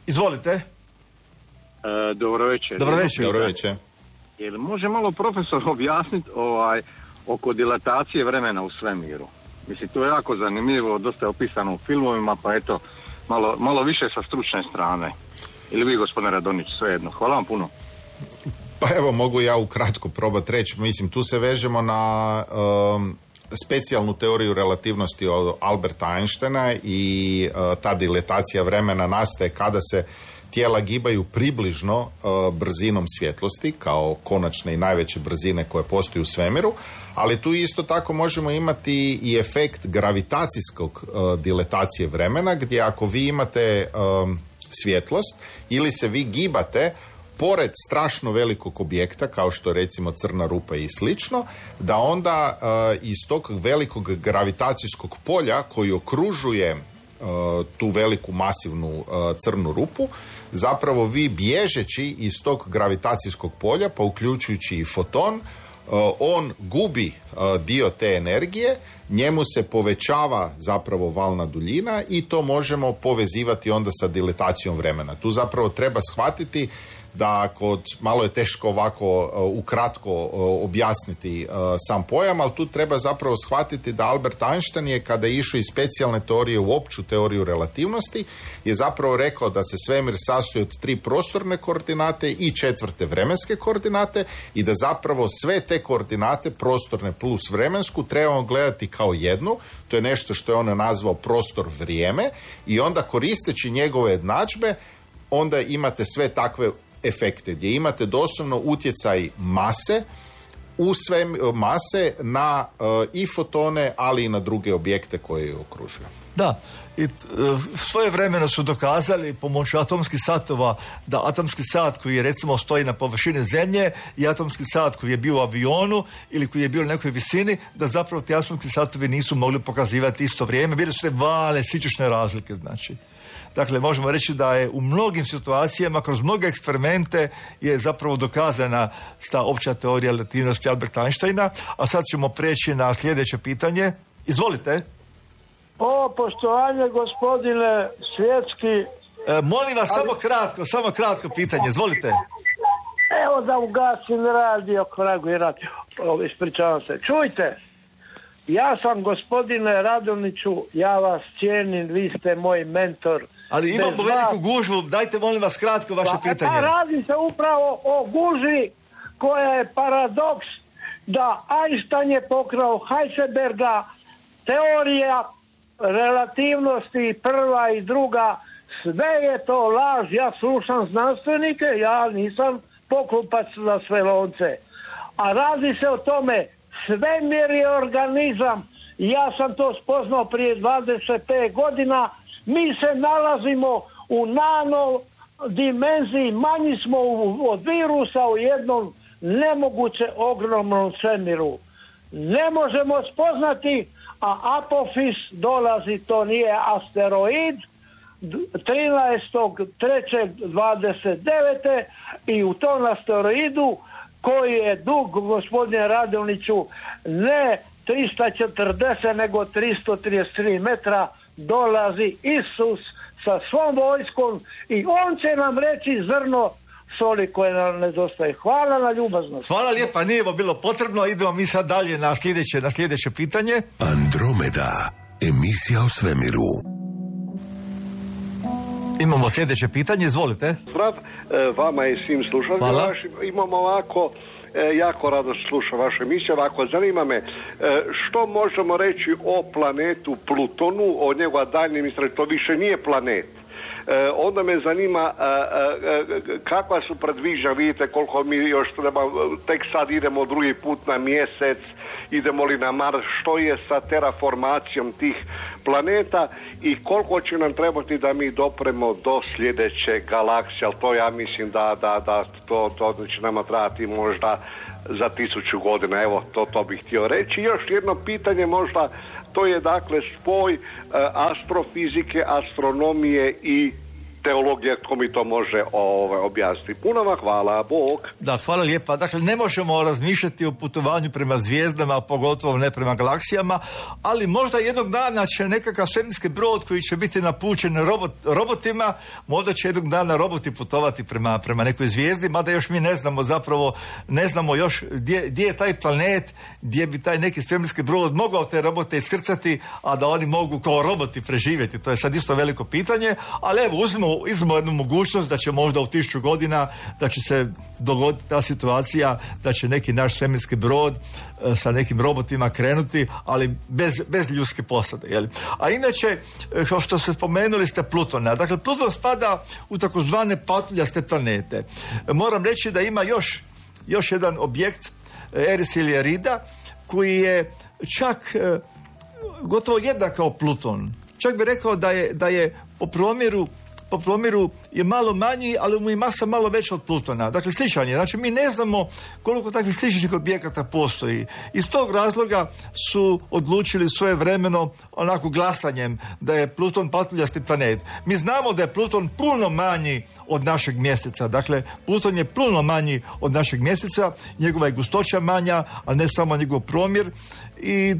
Izvolite. E, dobro večer. Dobro večer. Dobro večer. Jel može malo profesor objasniti ovaj, oko dilatacije vremena u svemiru? Mislim, to je jako zanimljivo, dosta je opisano u filmovima, pa eto, malo, malo više sa stručne strane. Ili vi, gospodine Radonić, svejedno. Hvala vam puno. Pa evo, mogu ja ukratko probati reći. Mislim, tu se vežemo na um, specijalnu teoriju relativnosti od Alberta Einsteina i uh, ta dilatacija vremena nastaje kada se tijela gibaju približno uh, brzinom svjetlosti, kao konačne i najveće brzine koje postoje u svemiru, ali tu isto tako možemo imati i efekt gravitacijskog uh, diletacije vremena, gdje ako vi imate um, svjetlost ili se vi gibate pored strašno velikog objekta, kao što recimo crna rupa i slično, da onda uh, iz tog velikog gravitacijskog polja koji okružuje uh, tu veliku masivnu uh, crnu rupu, zapravo vi bježeći iz tog gravitacijskog polja, pa uključujući i foton, uh, on gubi uh, dio te energije, njemu se povećava zapravo valna duljina i to možemo povezivati onda sa diletacijom vremena. Tu zapravo treba shvatiti da kod, malo je teško ovako uh, ukratko uh, objasniti uh, sam pojam, ali tu treba zapravo shvatiti da Albert Einstein je, kada je išao iz specijalne teorije u opću teoriju relativnosti, je zapravo rekao da se svemir sastoji od tri prostorne koordinate i četvrte vremenske koordinate i da zapravo sve te koordinate, prostorne plus vremensku, trebamo gledati kao jednu. To je nešto što je on nazvao prostor vrijeme i onda koristeći njegove jednadžbe onda imate sve takve efekte gdje imate doslovno utjecaj mase u sve mase na uh, i fotone, ali i na druge objekte koje je okružuju. Da, i uh, svojevremeno su dokazali pomoću atomskih satova da atomski sat koji je recimo stoji na površini zemlje i atomski sat koji je bio u avionu ili koji je bio na nekoj visini, da zapravo ti atomski satovi nisu mogli pokazivati isto vrijeme, bili su te vale, sičešne razlike, znači. Dakle, možemo reći da je u mnogim situacijama, kroz mnoge eksperimente je zapravo dokazana ta opća teorija relativnosti Alberta Einsteina, a sad ćemo preći na sljedeće pitanje. Izvolite. O, poštovanje gospodine Svjetski. E, molim vas, ali... samo kratko, samo kratko pitanje, izvolite. Evo da ugasim radio, kragu i radio. O, ispričavam se. Čujte, ja sam gospodine Radoniću, ja vas cijenim, vi ste moj mentor. Ali imamo Bez veliku vas... gužvu, dajte molim vas kratko vaše pa, pitanje. Pa radi se upravo o gužvi koja je paradoks da Einstein je pokrao Heisenberga, teorija relativnosti prva i druga, sve je to laž, ja slušam znanstvenike, ja nisam poklupac za sve lonce. A radi se o tome, svemir je organizam, ja sam to spoznao prije dvadeset pet godina, mi se nalazimo u nano dimenziji, manji smo u, od virusa u jednom nemoguće ogromnom svemiru. Ne možemo spoznati, a Apofis dolazi, to nije asteroid, trinaestog trećeg dvadeset devete i u tom asteroidu koji je dug, gospodine Radoniću, ne tristo četrdeset nego tristo trideset tri metra, dolazi Isus sa svom vojskom i on će nam reći zrno soli koje nam nedostaje. Hvala na ljubaznost. Hvala lijepa, nije bilo potrebno. Idemo mi sad dalje na sljedeće, na sljedeće pitanje. Andromeda, emisija o svemiru. Imamo sljedeće pitanje, izvolite. Zdrav, vama i svim slušalima vašim. Imamo ovako, jako rado slušam vašu emisiju, ovako zanima me što možemo reći o planetu Plutonu, o njegova daljnjem istraživanju, to više nije planet. E, onda me zanima a, a, a, kakva su predviđanja, vidite koliko mi još treba, tek sad idemo drugi put na mjesec, idemo li na Mars, što je sa terraformacijom tih planeta i koliko će nam trebati da mi dopremo do sljedeće galaksije, ali to ja mislim da, da, da to, to će nama trebati možda za tisuću godina, evo to, to bih htio reći. I još jedno pitanje možda, to je dakle spoj uh, astrofizike, astronomije i teologije, tko mi to može ovaj, objasniti. Puno vam hvala, Bog. Da, hvala lijepa. Dakle, ne možemo razmišljati o putovanju prema zvijezdama, pogotovo ne prema galaksijama, ali možda jednog dana će nekakav svemirski brod koji će biti napućen robot, robotima, možda će jednog dana roboti putovati prema, prema nekoj zvijezdi, mada još mi ne znamo zapravo, ne znamo još gdje, gdje je taj planet, gdje bi taj neki svemirski brod mogao te robote iskrcati, a da oni mogu kao roboti preživjeti. To je sad isto veliko pitanje, ali evo, uzmimo izmo, izmo jednu mogućnost da će možda u tisuću godina da će se dogoditi ta situacija da će neki naš svemirski brod e, sa nekim robotima krenuti, ali bez, bez ljudske posade. Jel? A inače, e, kao što ste spomenuli ste Plutona. Dakle, Pluton spada u takozvane patuljaste planete. E, moram reći da ima još, još jedan objekt Eris ili Erida koji je čak e, gotovo jednak kao Pluton. Čak bi rekao da je, da je po promjeru po promjeru je malo manji, ali mu je masa malo veća od Plutona. Dakle, sličan je. Znači, mi ne znamo koliko takvih sličnih objekata postoji. Iz tog razloga su odlučili svoje vremeno onako glasanjem da je Pluton patuljasti planet. Mi znamo da je Pluton puno manji od našeg mjeseca. Dakle, Pluton je puno manji od našeg mjeseca, njegova je gustoća manja, a ne samo njegov promjer. I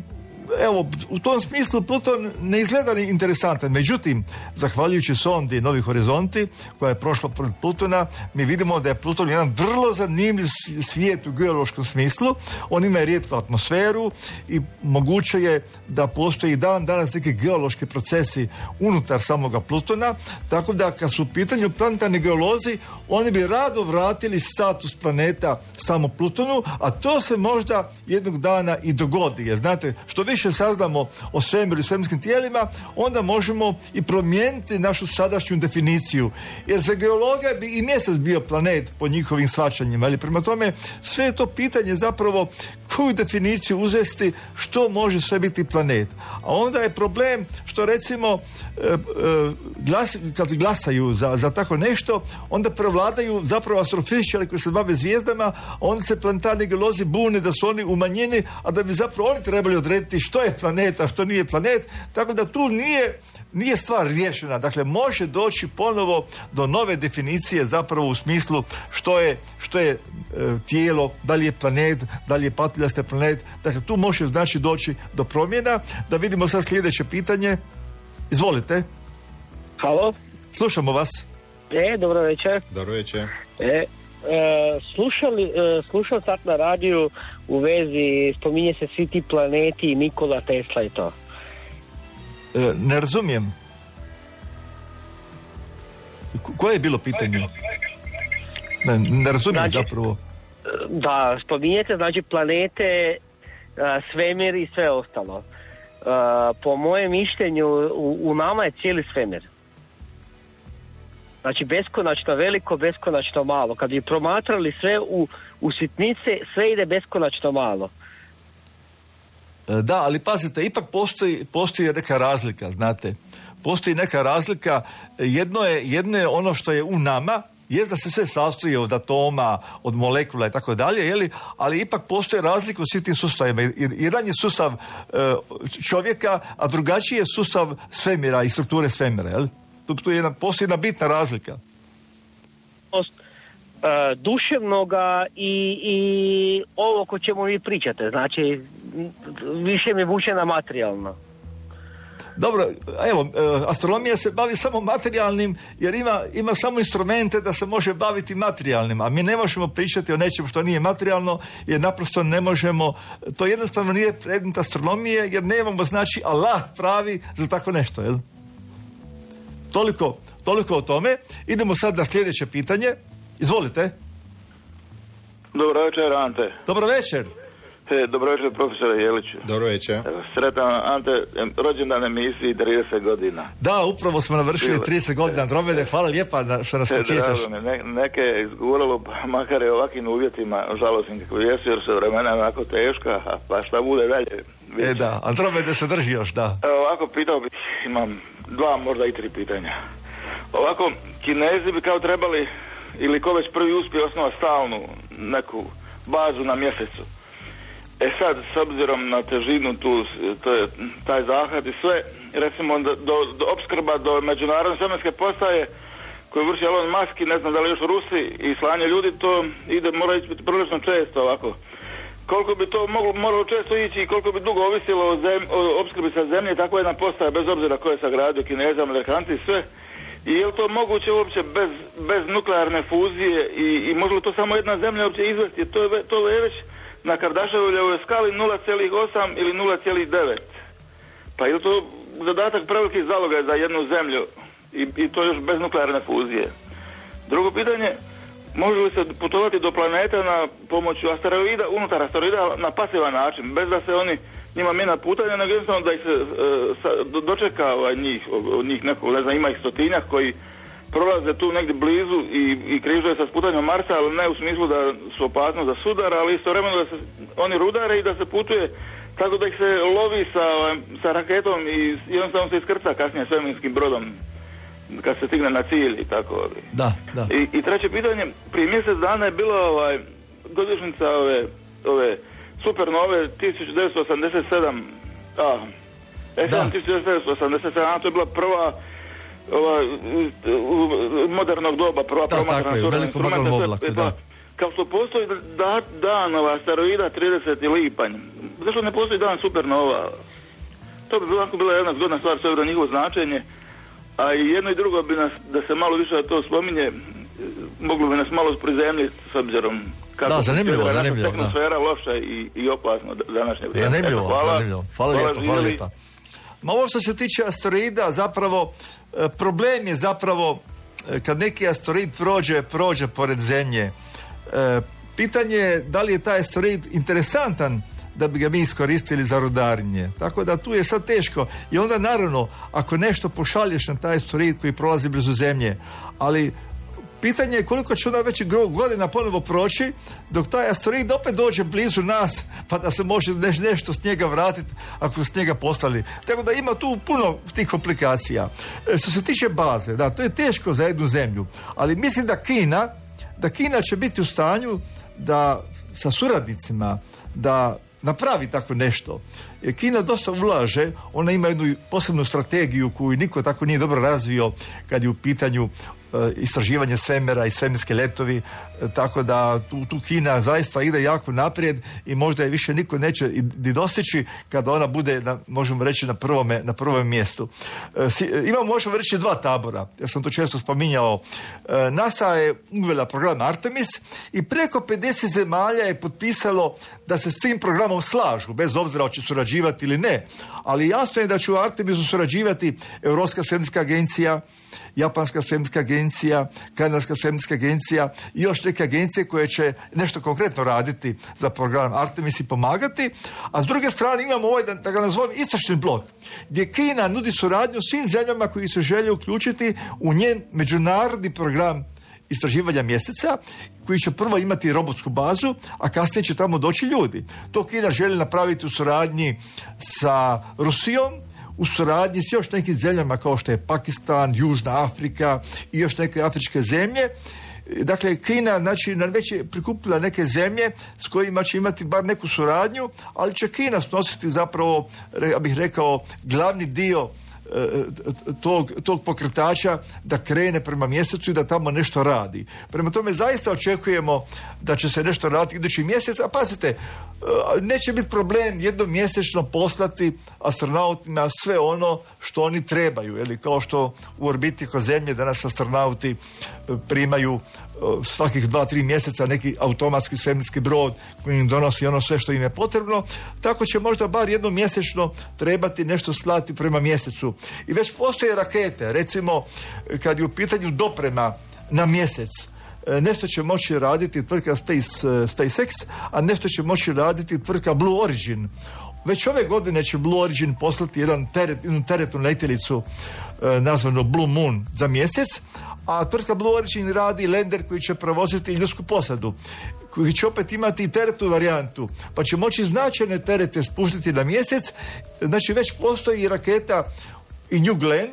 evo, u tom smislu Pluton ne izgleda ni interesantan. Međutim, zahvaljujući sondi Novi horizonti, koja je prošla pored Plutona, mi vidimo da je Pluton jedan vrlo zanimljiv svijet u geološkom smislu. On ima rijetku atmosferu i moguće je da postoji dan danas neki geološki procesi unutar samoga Plutona, tako da kad su u pitanju planetarni geolozi, oni bi rado vratili status planeta samo Plutonu, a to se možda jednog dana i dogodi. Jer znate, što više saznamo o svemiru i svemirskim tijelima, onda možemo i promijeniti našu sadašnju definiciju. Jer za geologa bi i mjesec bio planet po njihovim shvaćanjima. Ali prema tome, sve je to pitanje zapravo koju definiciju uzesti, što može sve biti planet. A onda je problem što recimo e, e, glas, kad glasaju za, za tako nešto, onda prevladaju zapravo astrofizičari koji se bave zvijezdama, a onda se planetarni geolozi bune da su oni u manjini, a da bi zapravo oni trebali odrediti što je planet, a što nije planet. Tako da tu nije nije stvar riješena. Dakle, može doći ponovo do nove definicije zapravo u smislu što je, što je e, tijelo, da li je planet, da li je patuljasti planet. Dakle, tu može znači doći do promjena. Da vidimo sad sljedeće pitanje. Izvolite. Halo? Slušamo vas. E, dobro večer. Dobro večer. E, e, slušali, e, slušao sad na radiju u vezi, spominje se svi ti planeti i Nikola Tesla i to. E, ne razumijem. Koje je bilo pitanje? Ne, ne razumijem znači, zapravo. Da, spominjete znači planete, svemir i sve ostalo. Po mojem mišljenju u, u nama je cijeli svemir. Znači beskonačno veliko, beskonačno malo. Kad bi promatrali sve u, u sitnice, sve ide beskonačno malo. Da, ali pazite, ipak postoji, postoji neka razlika, znate. Postoji neka razlika. Jedno je, jedno je ono što je u nama, je da se sve sastoji od atoma, od molekula i tako dalje, jeli? Ali ipak postoje razlika u svim tim sustavima. Jedan je sustav e, čovjeka, a drugačiji je sustav svemira i strukture svemira, jel? Tu, tu je jedna, postoji jedna bitna razlika. Uh, duševnoga i, i ovo o čemu vi pričate, znači više mi vuče na materijalno. Dobro, evo, astronomija se bavi samo materijalnim jer ima, ima samo instrumente da se može baviti materijalnim, a mi ne možemo pričati o nečemu što nije materijalno jer naprosto ne možemo, to jednostavno nije predmet astronomije jer nemamo znači alat pravi za tako nešto, jel? Toliko, toliko o tome. Idemo sad na sljedeće pitanje. Izvolite. Dobro večer, Ante. Dobro večer. E, dobro večer, profesore Jeliću. Dobro večer. Sretan, Ante, rođendan emisiji trideset godina. Da, upravo smo navršili trideset godina Andromede. Hvala lijepa što nas podsjećaš. Ne, neke je izguralo, pa makar je ovakvim uvjetima, žalostim kako jesu, jer su vremena onako teška, pa šta bude dalje. Vidite. E da, Andromede se drži još, da. Evo, ovako pitao bih, imam dva, možda i tri pitanja. Ovako, Kinezi bi kao trebali, ili ko već prvi uspije osnovati stalnu neku bazu na mjesecu. E sad, s obzirom na težinu tu, to je taj zahvat i sve, recimo do, do, do opskrba do međunarodne svemirske postaje koju vrši Elon Musk i ne znam da li još Rusi i slanje ljudi, to ide, mora ići prilično često ovako. Koliko bi to moglo, moralo često ići i koliko bi dugo ovisilo o, zem, o opskrbi sa zemlje, tako jedna postaja, bez obzira ko je sagradio, Kineza, Amerikanci i sve. I je li to moguće uopće bez, bez nuklearne fuzije i, i može li to samo jedna zemlja uopće izvesti? To je, to je već na Kardashiovoj skali nula zarez osam ili nula zarez devet. Pa je li to zadatak preveliki zalogaj za jednu zemlju i, i to još bez nuklearne fuzije. Drugo pitanje, može li se putovati do planeta na pomoću asteroida, unutar asteroida na pasivan način, bez da se oni njima mina putanja, nego jednostavno da ih se e, sa, do, dočeka ovaj, njih, od njih nekog, ne znam, ima ih stotinjak koji prolaze tu negdje blizu i, i križuje sa sputanjem Marsa, ali ne u smislu da su opasnost za sudar, ali istovremeno da se oni rudare i da se putuje tako da ih se lovi sa, sa raketom i jednostavno se iskrca kasnije svemirskim brodom kad se stigne na cilj i tako. Da, da. I, i treće pitanje, prije mjesec dana je bila ovaj, godišnjica ove, ove supernove tisuću devetsto osamdeset sedam, a, S M tisuću devetsto osamdeset sedam, to je bila prva ova, modernog doba, prva promatrana surna instrumenta. Kao što postoji da, dan ova asteroida trideseti lipanj, zašto ne postoji dan supernova? To bi bilo, bila jedna zgodna stvar s obzirom na njihovo značenje, a i jedno i drugo bi nas, da se malo više to spominje, moglo bi nas malo prizemljiti s obzirom kako da, zanimljivo, je zanimljivo, naša tehnosfera loša i, i opasno današnje vrijeme. Zanimljivo, hvala, zanimljivo. Hvala, hvala lijepa, hvala lijepa. Ma ovo što se tiče asteroida, zapravo, problem je zapravo kad neki asteroid prođe, prođe pored Zemlje. E, pitanje je da li je taj asteroid interesantan da bi ga mi iskoristili za rudarenje. Tako da tu je sad teško. I onda naravno, ako nešto pošalješ na taj asteroid koji prolazi blizu Zemlje, ali pitanje je koliko će onda već godina ponovo proći dok taj asteroid opet dođe blizu nas pa da se može neš, nešto s njega vratiti ako su s njega poslali. Tako da ima tu puno tih komplikacija. E, što se tiče baze, da, to je teško za jednu zemlju, ali mislim da Kina da Kina će biti u stanju da sa suradnicima da napravi tako nešto. Kina dosta ulaže, ona ima jednu posebnu strategiju koju niko tako nije dobro razvio kad je u pitanju istraživanje svemira i svemirske letovi, tako da tu, tu Kina zaista ide jako naprijed i možda je više niko neće ni dostići kada ona bude, na, možemo reći, na prvome, na prvome mjestu. E, si, imamo, možemo reći, dva tabora, ja sam to često spominjao. E, NASA je uvela program Artemis i preko pedeset zemalja je potpisalo da se s tim programom slažu, bez obzira hoće surađivati ili ne, ali jasno je da će u Artemisu surađivati Europska svemirska agencija, Japanska svemirska agencija, Kanadska svemirska agencija i još neke agencije koje će nešto konkretno raditi za program Artemis i pomagati, a s druge strane imamo ovaj, da, da ga nazovem, istočni blok, gdje Kina nudi suradnju svim zemljama koji se žele uključiti u njen međunarodni program istraživanja mjeseca, koji će prvo imati robotsku bazu, a kasnije će tamo doći ljudi. To Kina želi napraviti u suradnji sa Rusijom, u suradnji s još nekim zemljama kao što je Pakistan, Južna Afrika i još neke afričke zemlje. Dakle, Kina, znači, već je prikupila neke zemlje s kojima će imati bar neku suradnju, ali će Kina snositi zapravo, ja bih rekao, glavni dio Tog, tog pokretača da krene prema mjesecu i da tamo nešto radi. Prema tome zaista očekujemo da će se nešto raditi idući mjesec, a pazite, neće biti problem jednom mjesečno poslati astronautima sve ono što oni trebaju, ili kao što u orbiti oko Zemlje danas astronauti primaju svakih dva, tri mjeseca neki automatski svemirski brod koji im donosi ono sve što im je potrebno, tako će možda bar jednom mjesečno trebati nešto slati prema mjesecu. I već postoje rakete, recimo kad je u pitanju doprema na mjesec, nešto će moći raditi tvrtka Space, SpaceX, a nešto će moći raditi tvrtka Blue Origin. Već ove godine će Blue Origin poslati jedan teret, jednu teretnu letjelicu e, nazvanu Blue Moon za mjesec, a tvrtka Blue Origin radi lander koji će provoziti ljudsku posadu, koji će opet imati i teretnu varijantu, pa će moći značajne terete spuštiti na mjesec. Znači već postoji i raketa i New Glenn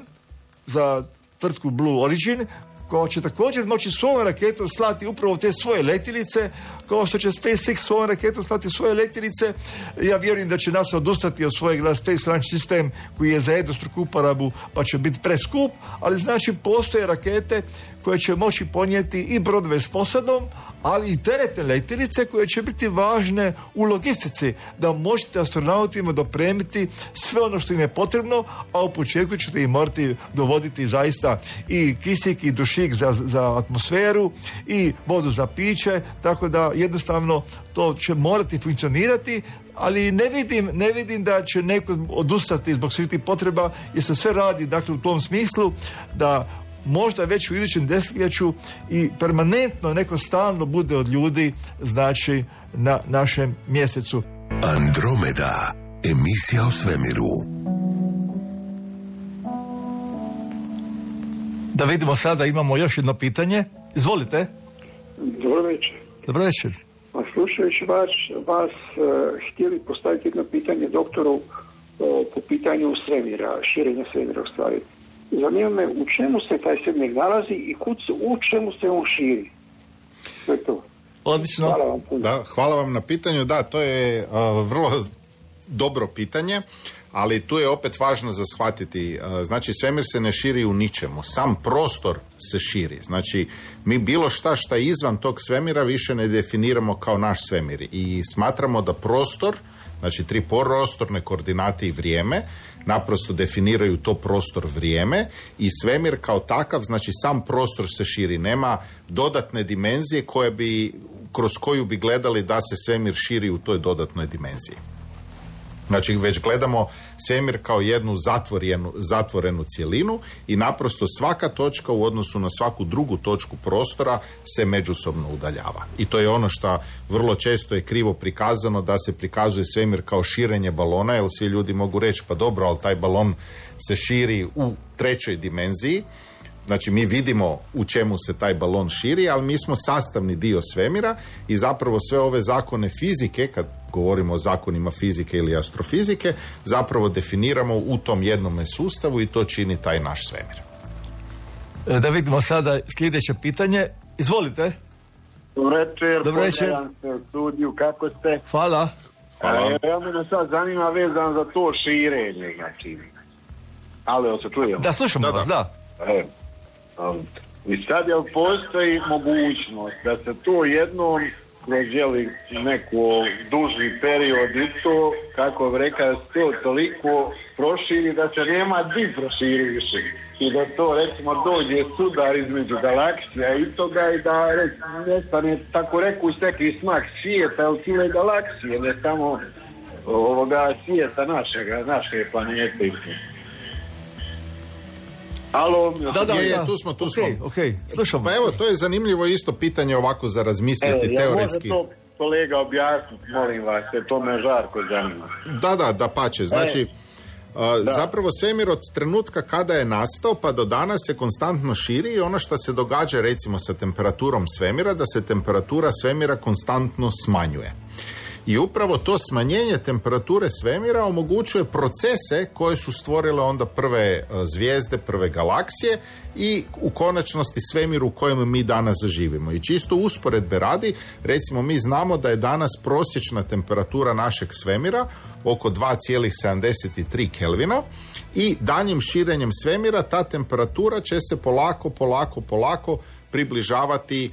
za tvrtku Blue Origin, koja će također moći svojom raketom slati upravo te svoje letjelice, kao što će SpaceX svojom raketom slati svoje letjelice. Ja vjerujem da će NASA odustati od svojeg Space Launch System koji je za jednostruku uporabu pa će biti preskup, ali znači postoje rakete koje će moći ponijeti i brodove s posadom, ali i teretne letjelice koje će biti važne u logistici, da možete astronautima dopremiti sve ono što im je potrebno, a u početku ćete im morati dovoditi zaista i kisik i dušik za, za atmosferu i vodu za piće, tako da jednostavno to će morati funkcionirati, ali ne vidim, ne vidim da će neko odustati zbog svih tih potreba, jer se sve radi dakle u tom smislu da možda već u idućem desetljeću i permanentno neko stalno bude od ljudi, znači na našem mjesecu. Andromeda, emisija o svemiru. Da vidimo sada, imamo još jedno pitanje. Izvolite. Dobro večer. Dobro večer. A slušajući vas, vas uh, htjeli postaviti jedno pitanje doktoru uh, po pitanju svemira, širenja svemira u stvari. Zanima me u čemu se taj svemir nalazi i kud se, u čemu se on širi. To je to. Odlično. Hvala vam puno. Da, hvala vam na pitanju. Da, to je uh, vrlo dobro pitanje, ali tu je opet važno za shvatiti. Uh, znači, svemir se ne širi u ničemu. Sam prostor se širi. Znači, mi bilo šta šta je izvan tog svemira više ne definiramo kao naš svemir. I smatramo da prostor, znači tri prostorne koordinate i vrijeme, naprosto definiraju to prostor vrijeme i svemir kao takav, znači sam prostor se širi. Nema dodatne dimenzije koje bi, kroz koju bi gledali da se svemir širi u toj dodatnoj dimenziji. Znači, već gledamo svemir kao jednu zatvorenu, zatvorenu cjelinu i naprosto svaka točka u odnosu na svaku drugu točku prostora se međusobno udaljava. I to je ono što vrlo često je krivo prikazano, da se prikazuje svemir kao širenje balona, jer svi ljudi mogu reći, pa dobro, ali taj balon se širi u trećoj dimenziji. Znači, mi vidimo u čemu se taj balon širi, ali mi smo sastavni dio svemira i zapravo sve ove zakone fizike, kad govorimo o zakonima fizike ili astrofizike, zapravo definiramo u tom jednome sustavu i to čini taj naš svemir. Da vidimo sada sljedeće pitanje. Izvolite. Dobro večer. Dobro večer. U studiju, kako ste? Hvala. Hvala. E, ja me sad zanima vezan za to širenje, znači. Ali, se čujemo? Da, slušamo vas, da. E, um, I sad je postoji mogućnost da se to jednom prođeli neko duži period i to, kako bi rekao, to toliko proširi da se nema di proširi više. I da to, recimo, dođe sudar između galaksija i toga i da nestane, tako reku, neki smak svijeta ili cijele galaksije, ne samo ovoga svijeta našega, naše planete. Alo, da, da, je, tu smo, tu okay, smo. Okay, slušamo. Pa evo, to je zanimljivo isto pitanje ovako za razmisliti, e, teoretski. Ja može to kolega objasniti, molim vas, jer to me žarko zanima. Da, da, da pače. Znači, e, uh, zapravo svemir od trenutka kada je nastao pa do danas se konstantno širi i ono što se događa recimo sa temperaturom svemira, da se temperatura svemira konstantno smanjuje. I upravo to smanjenje temperature svemira omogućuje procese koje su stvorile onda prve zvijezde, prve galaksije i u konačnosti svemir u kojem mi danas živimo. I čisto usporedbe radi, recimo mi znamo da je danas prosječna temperatura našeg svemira oko dva zarez sedamdeset tri Kelvina i daljnjim širenjem svemira ta temperatura će se polako, polako, polako približavati,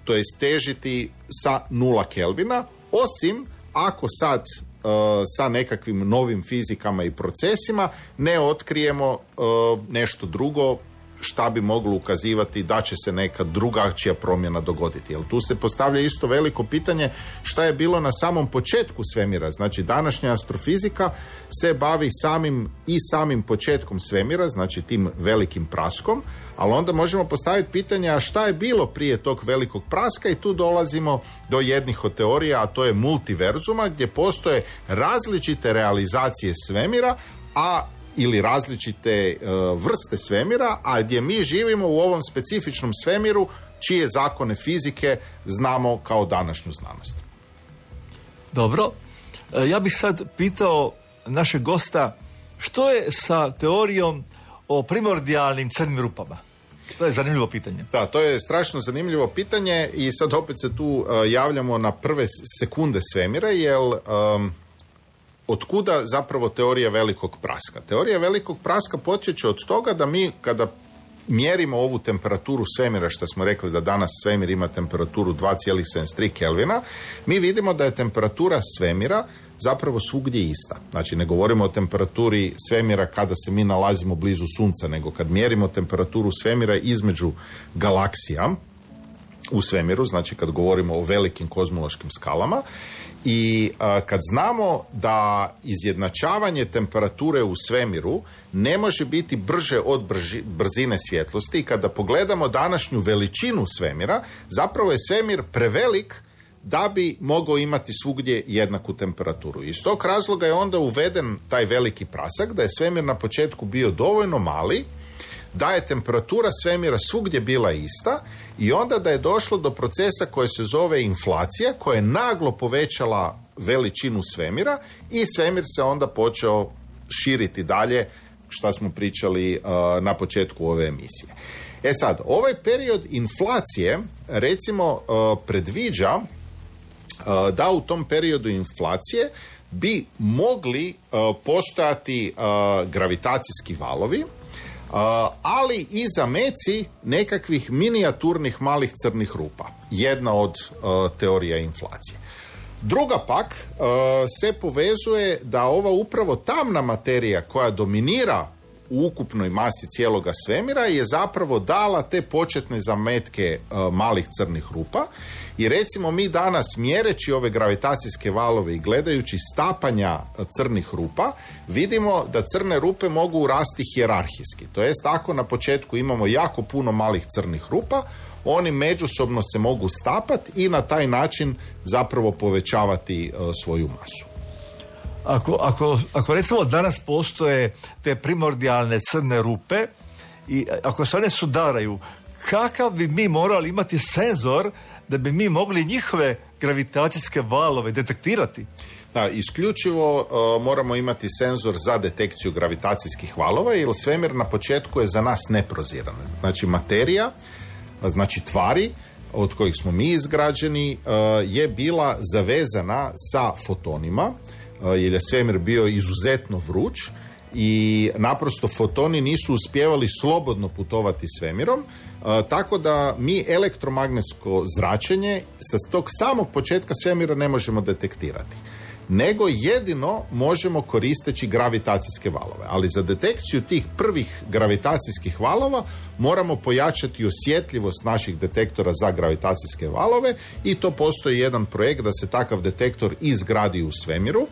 to jest težiti sa nula Kelvina, osim ako sad uh, sa nekakvim novim fizikama i procesima ne otkrijemo uh, nešto drugo šta bi moglo ukazivati da će se neka drugačija promjena dogoditi. Jer tu se postavlja isto veliko pitanje šta je bilo na samom početku svemira. Znači, današnja astrofizika se bavi samim i samim početkom svemira, znači tim velikim praskom, ali onda možemo postaviti pitanje, a šta je bilo prije tog velikog praska, i tu dolazimo do jednih od teorija, a to je multiverzuma, gdje postoje različite realizacije svemira, a ili različite uh, vrste svemira, a gdje mi živimo u ovom specifičnom svemiru čije zakone fizike znamo kao današnju znanost. Dobro. E, ja bih sad pitao našeg gosta što je sa teorijom o primordijalnim crnim rupama. To je zanimljivo pitanje. Da, to je strašno zanimljivo pitanje i sad opet se tu uh, javljamo na prve sekunde svemira, jer um, otkuda zapravo teorija velikog praska? Teorija velikog praska počeće od toga da mi kada mjerimo ovu temperaturu svemira, što smo rekli da danas svemir ima temperaturu dva zarez sedamdeset tri Kelvina, mi vidimo da je temperatura svemira zapravo svugdje ista. Znači, ne govorimo o temperaturi svemira kada se mi nalazimo blizu Sunca, nego kad mjerimo temperaturu svemira između galaksija, u svemiru, znači kad govorimo o velikim kozmološkim skalama. I a, kad znamo da izjednačavanje temperature u svemiru ne može biti brže od brži, brzine svjetlosti, i kada pogledamo današnju veličinu svemira, zapravo je svemir prevelik da bi mogao imati svugdje jednaku temperaturu. Iz tog razloga je onda uveden taj veliki prasak, da je svemir na početku bio dovoljno mali, da je temperatura svemira svugdje bila ista, i onda da je došlo do procesa koji se zove inflacija, koja je naglo povećala veličinu svemira, i svemir se onda počeo širiti dalje, što smo pričali uh, na početku ove emisije. E sad, ovaj period inflacije, recimo, uh, predviđa uh, da u tom periodu inflacije bi mogli uh, postojati uh, gravitacijski valovi, Uh, ali i zameci nekakvih minijaturnih malih crnih rupa. Jedna od uh, teorija inflacije. Druga pak uh, se povezuje da ova upravo tamna materija koja dominira u ukupnoj masi cijeloga svemira je zapravo dala te početne zametke uh, malih crnih rupa. I recimo mi danas, mjereći ove gravitacijske valove i gledajući stapanja crnih rupa, vidimo da crne rupe mogu rasti hijerarhijski. To jest, ako na početku imamo jako puno malih crnih rupa, oni međusobno se mogu stapati i na taj način zapravo povećavati uh, svoju masu. Ako, ako, ako recimo danas postoje te primordijalne crne rupe i ako se one sudaraju, kakav bi mi morali imati senzor da bi mi mogli njihove gravitacijske valove detektirati? Da, isključivo uh, moramo imati senzor za detekciju gravitacijskih valova, jer svemir na početku je za nas neproziran. Znači materija, znači tvari od kojih smo mi izgrađeni, uh, je bila zavezana sa fotonima, uh, jer je svemir bio izuzetno vruć i naprosto fotoni nisu uspijevali slobodno putovati svemirom. Uh, tako da mi elektromagnetsko zračenje sa tog samog početka svemira ne možemo detektirati, nego jedino možemo koristeći gravitacijske valove. Ali za detekciju tih prvih gravitacijskih valova moramo pojačati osjetljivost naših detektora za gravitacijske valove, i to postoji jedan projekt da se takav detektor izgradi u svemiru, uh,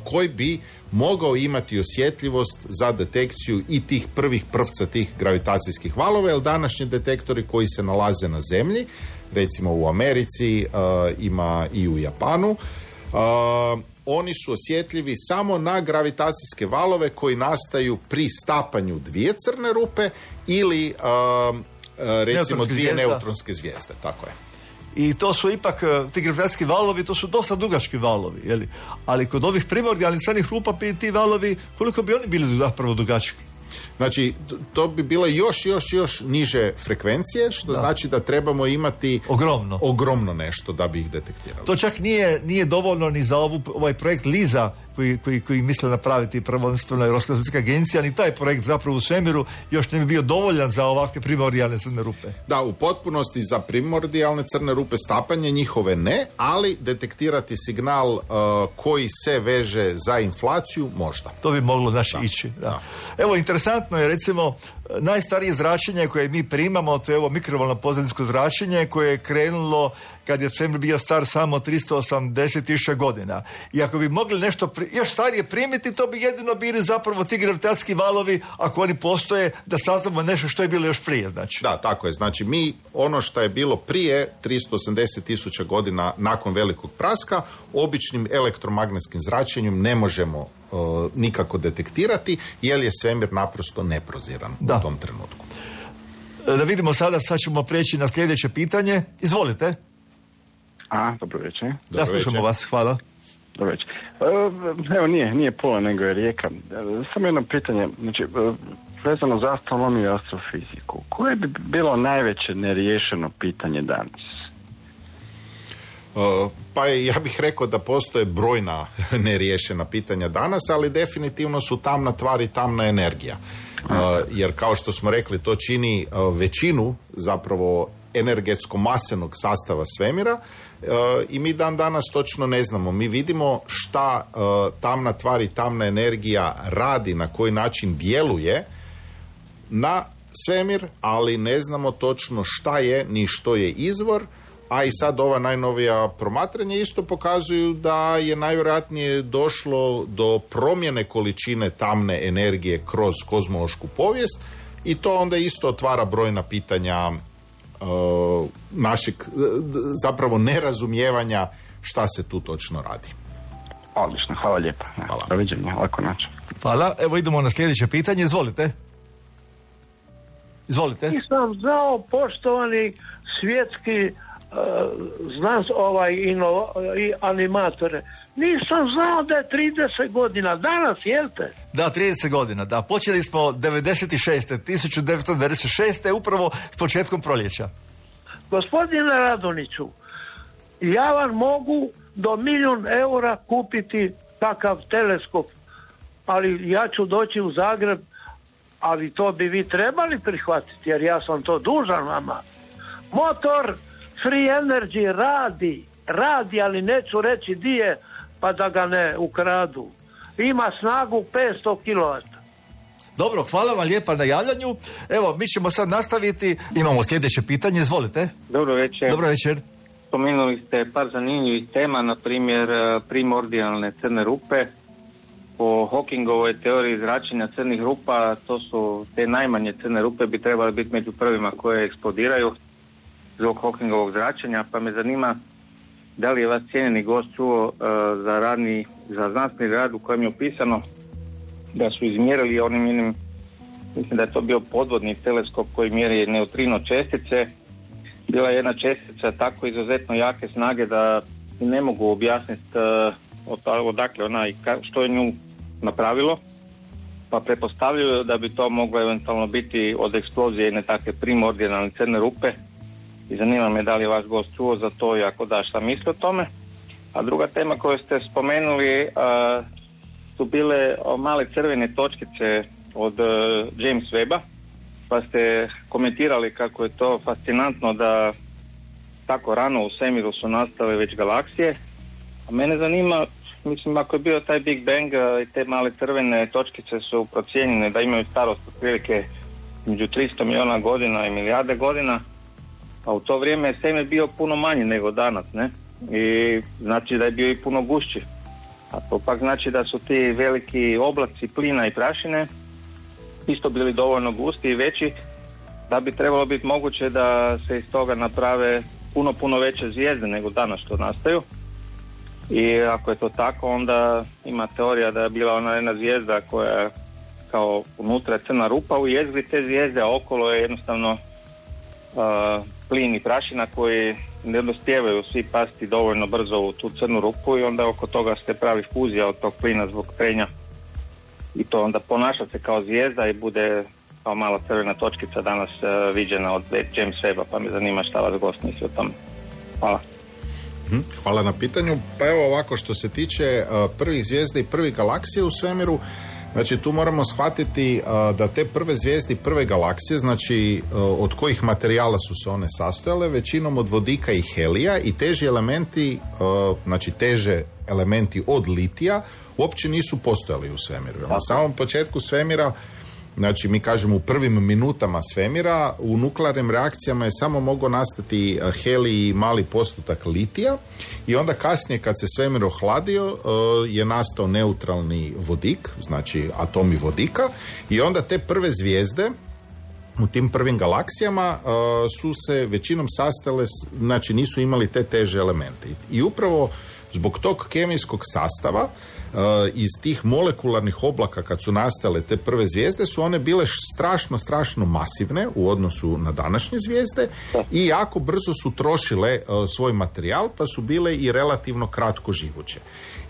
koji bi mogao imati osjetljivost za detekciju i tih prvih prvca tih gravitacijskih valova, jer današnji detektori koji se nalaze na zemlji, recimo u Americi, uh, ima i u Japanu, uh, oni su osjetljivi samo na gravitacijske valove koji nastaju pri stapanju dvije crne rupe ili uh, uh, recimo dvije zvijezda. neutronske zvijezde, tako je. I to su ipak, ti gravitacijski valovi, to su dosta dugački valovi, jeli? Ali kod ovih primordijalnih crnih rupa ti valovi, koliko bi oni bili zapravo dugački? Znači, to bi bile još, još, još niže frekvencije, što da. znači da trebamo imati ogromno, ogromno nešto da bi ih detektirali. To čak nije, nije dovoljno ni za ovu, ovaj projekt LISA koji, koji, koji misle napraviti prvenstveno Europska svjetska agencija, ni taj projekt zapravo u svemiru još ne bi bio dovoljan za ovakve primordijalne crne rupe. Da, u potpunosti za primordijalne crne rupe stapanje njihove ne, ali detektirati signal uh, koji se veže za inflaciju možda. To bi moglo znači da. ići. Da. Da. Evo, interesantno je recimo najstarije zračenje koje mi primamo, to je ovo mikrovalno pozadinsko zračenje koje je krenulo kad je svemir bio star samo tristo osamdeset tisuća godina. I ako bi mogli nešto pri, još starije primiti, to bi jedino bili zapravo ti gravitacijski valovi, ako oni postoje, da saznamo nešto što je bilo još prije. Znači. Da, tako je. Znači mi ono što je bilo prije tristo osamdeset tisuća godina nakon velikog praska, običnim elektromagnetskim zračenjem ne možemo uh, nikako detektirati, jer je svemir naprosto neproziran da. u tom trenutku. Da vidimo sada, sad ćemo prijeći na sljedeće pitanje. Izvolite. A, dobro večer. Da, slušamo vas, hvala. Dobro večer. Evo, nije, nije Pula, nego je Rijeka. Samo jedno pitanje, znači, vezano za astronomiju i astrofiziku. Koje bi bilo najveće neriješeno pitanje danas? Uh, pa ja bih rekao da postoje brojna neriješena pitanja danas, ali definitivno su tamna tvar i tamna energija. Uh, jer kao što smo rekli, to čini uh, većinu zapravo energetsko-masenog sastava svemira, uh, i mi dan danas točno ne znamo. Mi vidimo šta uh, tamna tvar i tamna energija radi, na koji način djeluje na svemir, ali ne znamo točno šta je ni što je izvor, a i sad ova najnovija promatranja isto pokazuju da je najvjerojatnije došlo do promjene količine tamne energije kroz kozmološku povijest i to onda isto otvara brojna pitanja uh, našeg zapravo nerazumijevanja šta se tu točno radi. Odlično, hvala lijepa. Hvala. Doviđenja, lako način. Hvala, evo idemo na sljedeće pitanje, izvolite. Izvolite. Nisam znao, poštovani svjetski uh, znans, ovaj ino, i animatore, nisam znao da je trideset godina, danas, jel te? Da, trideset godina, da. Počeli smo devedeset šeste tisuća devetsto devedeset šeste upravo s početkom proljeća. Gospodine Radoniću, ja vam mogu do milijun eura kupiti takav teleskop, ali ja ću doći u Zagreb, ali to bi vi trebali prihvatiti, jer ja sam to dužan vama. Motor Free Energy radi, radi, ali neću reći di je, pa da ga ne ukradu. Ima snagu petsto kilovata. Dobro, hvala vam lijepa na javljanju. Evo, mi ćemo sad nastaviti. Imamo sljedeće pitanje, izvolite. Dobro večer. Dobro večer. Spomenuli ste par zanimljivih tema, na primjer primordijalne crne rupe. Po Hawkingovoj teoriji zračenja crnih rupa, to su te najmanje crne rupe, bi trebale biti među prvima koje eksplodiraju zbog Hawkingovog zračenja, pa me zanima da li je vas cijenjeni gost čuo uh, za radni, za znanstveni rad u kojem je opisano da su izmjerili onim jednim, mislim da je to bio podvodni teleskop koji mjeri neutrino čestice. Bila je jedna čestica tako izuzetno jake snage da ne mogu objasniti uh, odakle ona i ka, što je nju napravilo, pa pretpostavljaju da bi to moglo eventualno biti od eksplozije jedne takve primordijalne crne rupe i zanima me da li je vaš gost čuo za to i ako da, šta misli o tome. A druga tema koju ste spomenuli uh, su bile male crvene točkice od uh, James Webba, pa ste komentirali kako je to fascinantno da tako rano u svemiru su nastale već galaksije. A mene zanima, mislim, ako je bio taj Big Bang i te male crvene točkice su procijenjene da imaju starost otprilike među tristo milijuna godina i milijarde godina, a u to vrijeme je svemir bio puno manji nego danas, ne? I znači da je bio i puno gušći. A to pak znači da su ti veliki oblaci plina i prašine isto bili dovoljno gusti i veći da bi trebalo biti moguće da se iz toga naprave puno, puno veće zvijezde nego danas što nastaju. I ako je to tako, onda ima teorija da je bila ona jedna zvijezda koja kao unutra je crna rupa u jezgri te zvijezde, a okolo je jednostavno uh, plin i prašina koji ne dospijevaju svi pasti dovoljno brzo u tu crnu rupu i onda oko toga se pravi fuzija od tog plina zbog trenja i to onda ponaša se kao zvijezda i bude kao mala crvena točkica danas uh, viđena od James Webba, pa me zanima šta vas gost misli o tome. Hvala. Hvala na pitanju. Pa evo ovako, što se tiče uh, prvih zvijezda i prvih galaksije u svemiru, znači tu moramo shvatiti uh, da te prve zvijezde i prve galaksije, znači uh, od kojih materijala su se one sastojale, većinom od vodika i helija i teži elementi, uh, znači teže elementi od litija uopće nisu postojali u svemiru. Na samom početku svemira, znači mi kažemo u prvim minutama svemira, u nuklearnim reakcijama je samo mogao nastati helij i mali postotak litija i onda kasnije kad se svemir ohladio je nastao neutralni vodik, znači atomi vodika i onda te prve zvijezde u tim prvim galaksijama uh, su se većinom sastale, znači nisu imali te teže elemente. I upravo zbog tog kemijskog sastava Uh, iz tih molekularnih oblaka kad su nastale te prve zvijezde su one bile strašno, strašno masivne u odnosu na današnje zvijezde i jako brzo su trošile uh, svoj materijal pa su bile i relativno kratko živuće.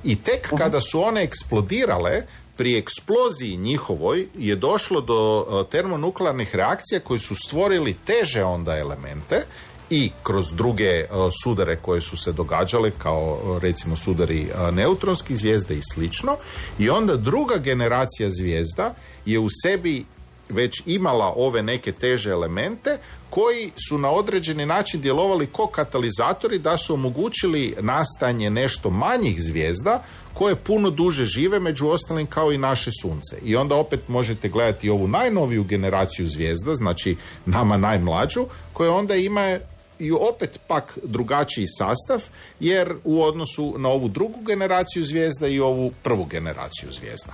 I tek uh-huh. kada su one eksplodirale, pri eksploziji njihovoj je došlo do uh, termonuklearnih reakcija koji su stvorili teže onda elemente i kroz druge uh, sudare koje su se događale kao uh, recimo sudari uh, neutronskih zvijezde i slično i onda druga generacija zvijezda je u sebi već imala ove neke teže elemente koji su na određeni način djelovali kao katalizatori da su omogućili nastajanje nešto manjih zvijezda koje puno duže žive, među ostalim kao i naše sunce. I onda opet možete gledati ovu najnoviju generaciju zvijezda, znači nama najmlađu, koja onda ima i opet pak drugačiji sastav, jer u odnosu na ovu drugu generaciju zvijezda i ovu prvu generaciju zvijezda.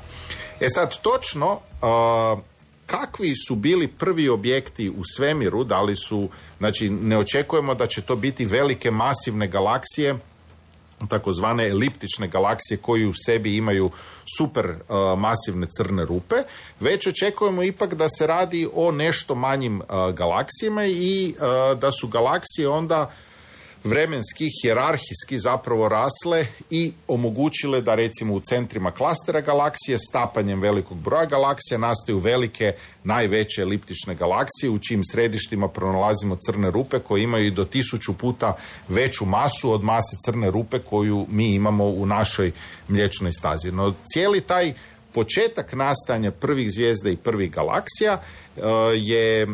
E sad, točno uh, kakvi su bili prvi objekti u svemiru, da li su, znači ne očekujemo da će to biti velike masivne galaksije, takozvane eliptične galaksije koji u sebi imaju super uh, masivne crne rupe, već očekujemo ipak da se radi o nešto manjim uh, galaksijama i uh, da su galaksije onda vremenski, hijerarhijski zapravo rasle i omogućile da recimo u centrima klastera galaksije stapanjem velikog broja galaksija nastaju velike, najveće eliptične galaksije u čijim središtima pronalazimo crne rupe koje imaju i do tisuću puta veću masu od mase crne rupe koju mi imamo u našoj mliječnoj stazi. No cijeli taj početak nastajanja prvih zvijezda i prvih galaksija uh, je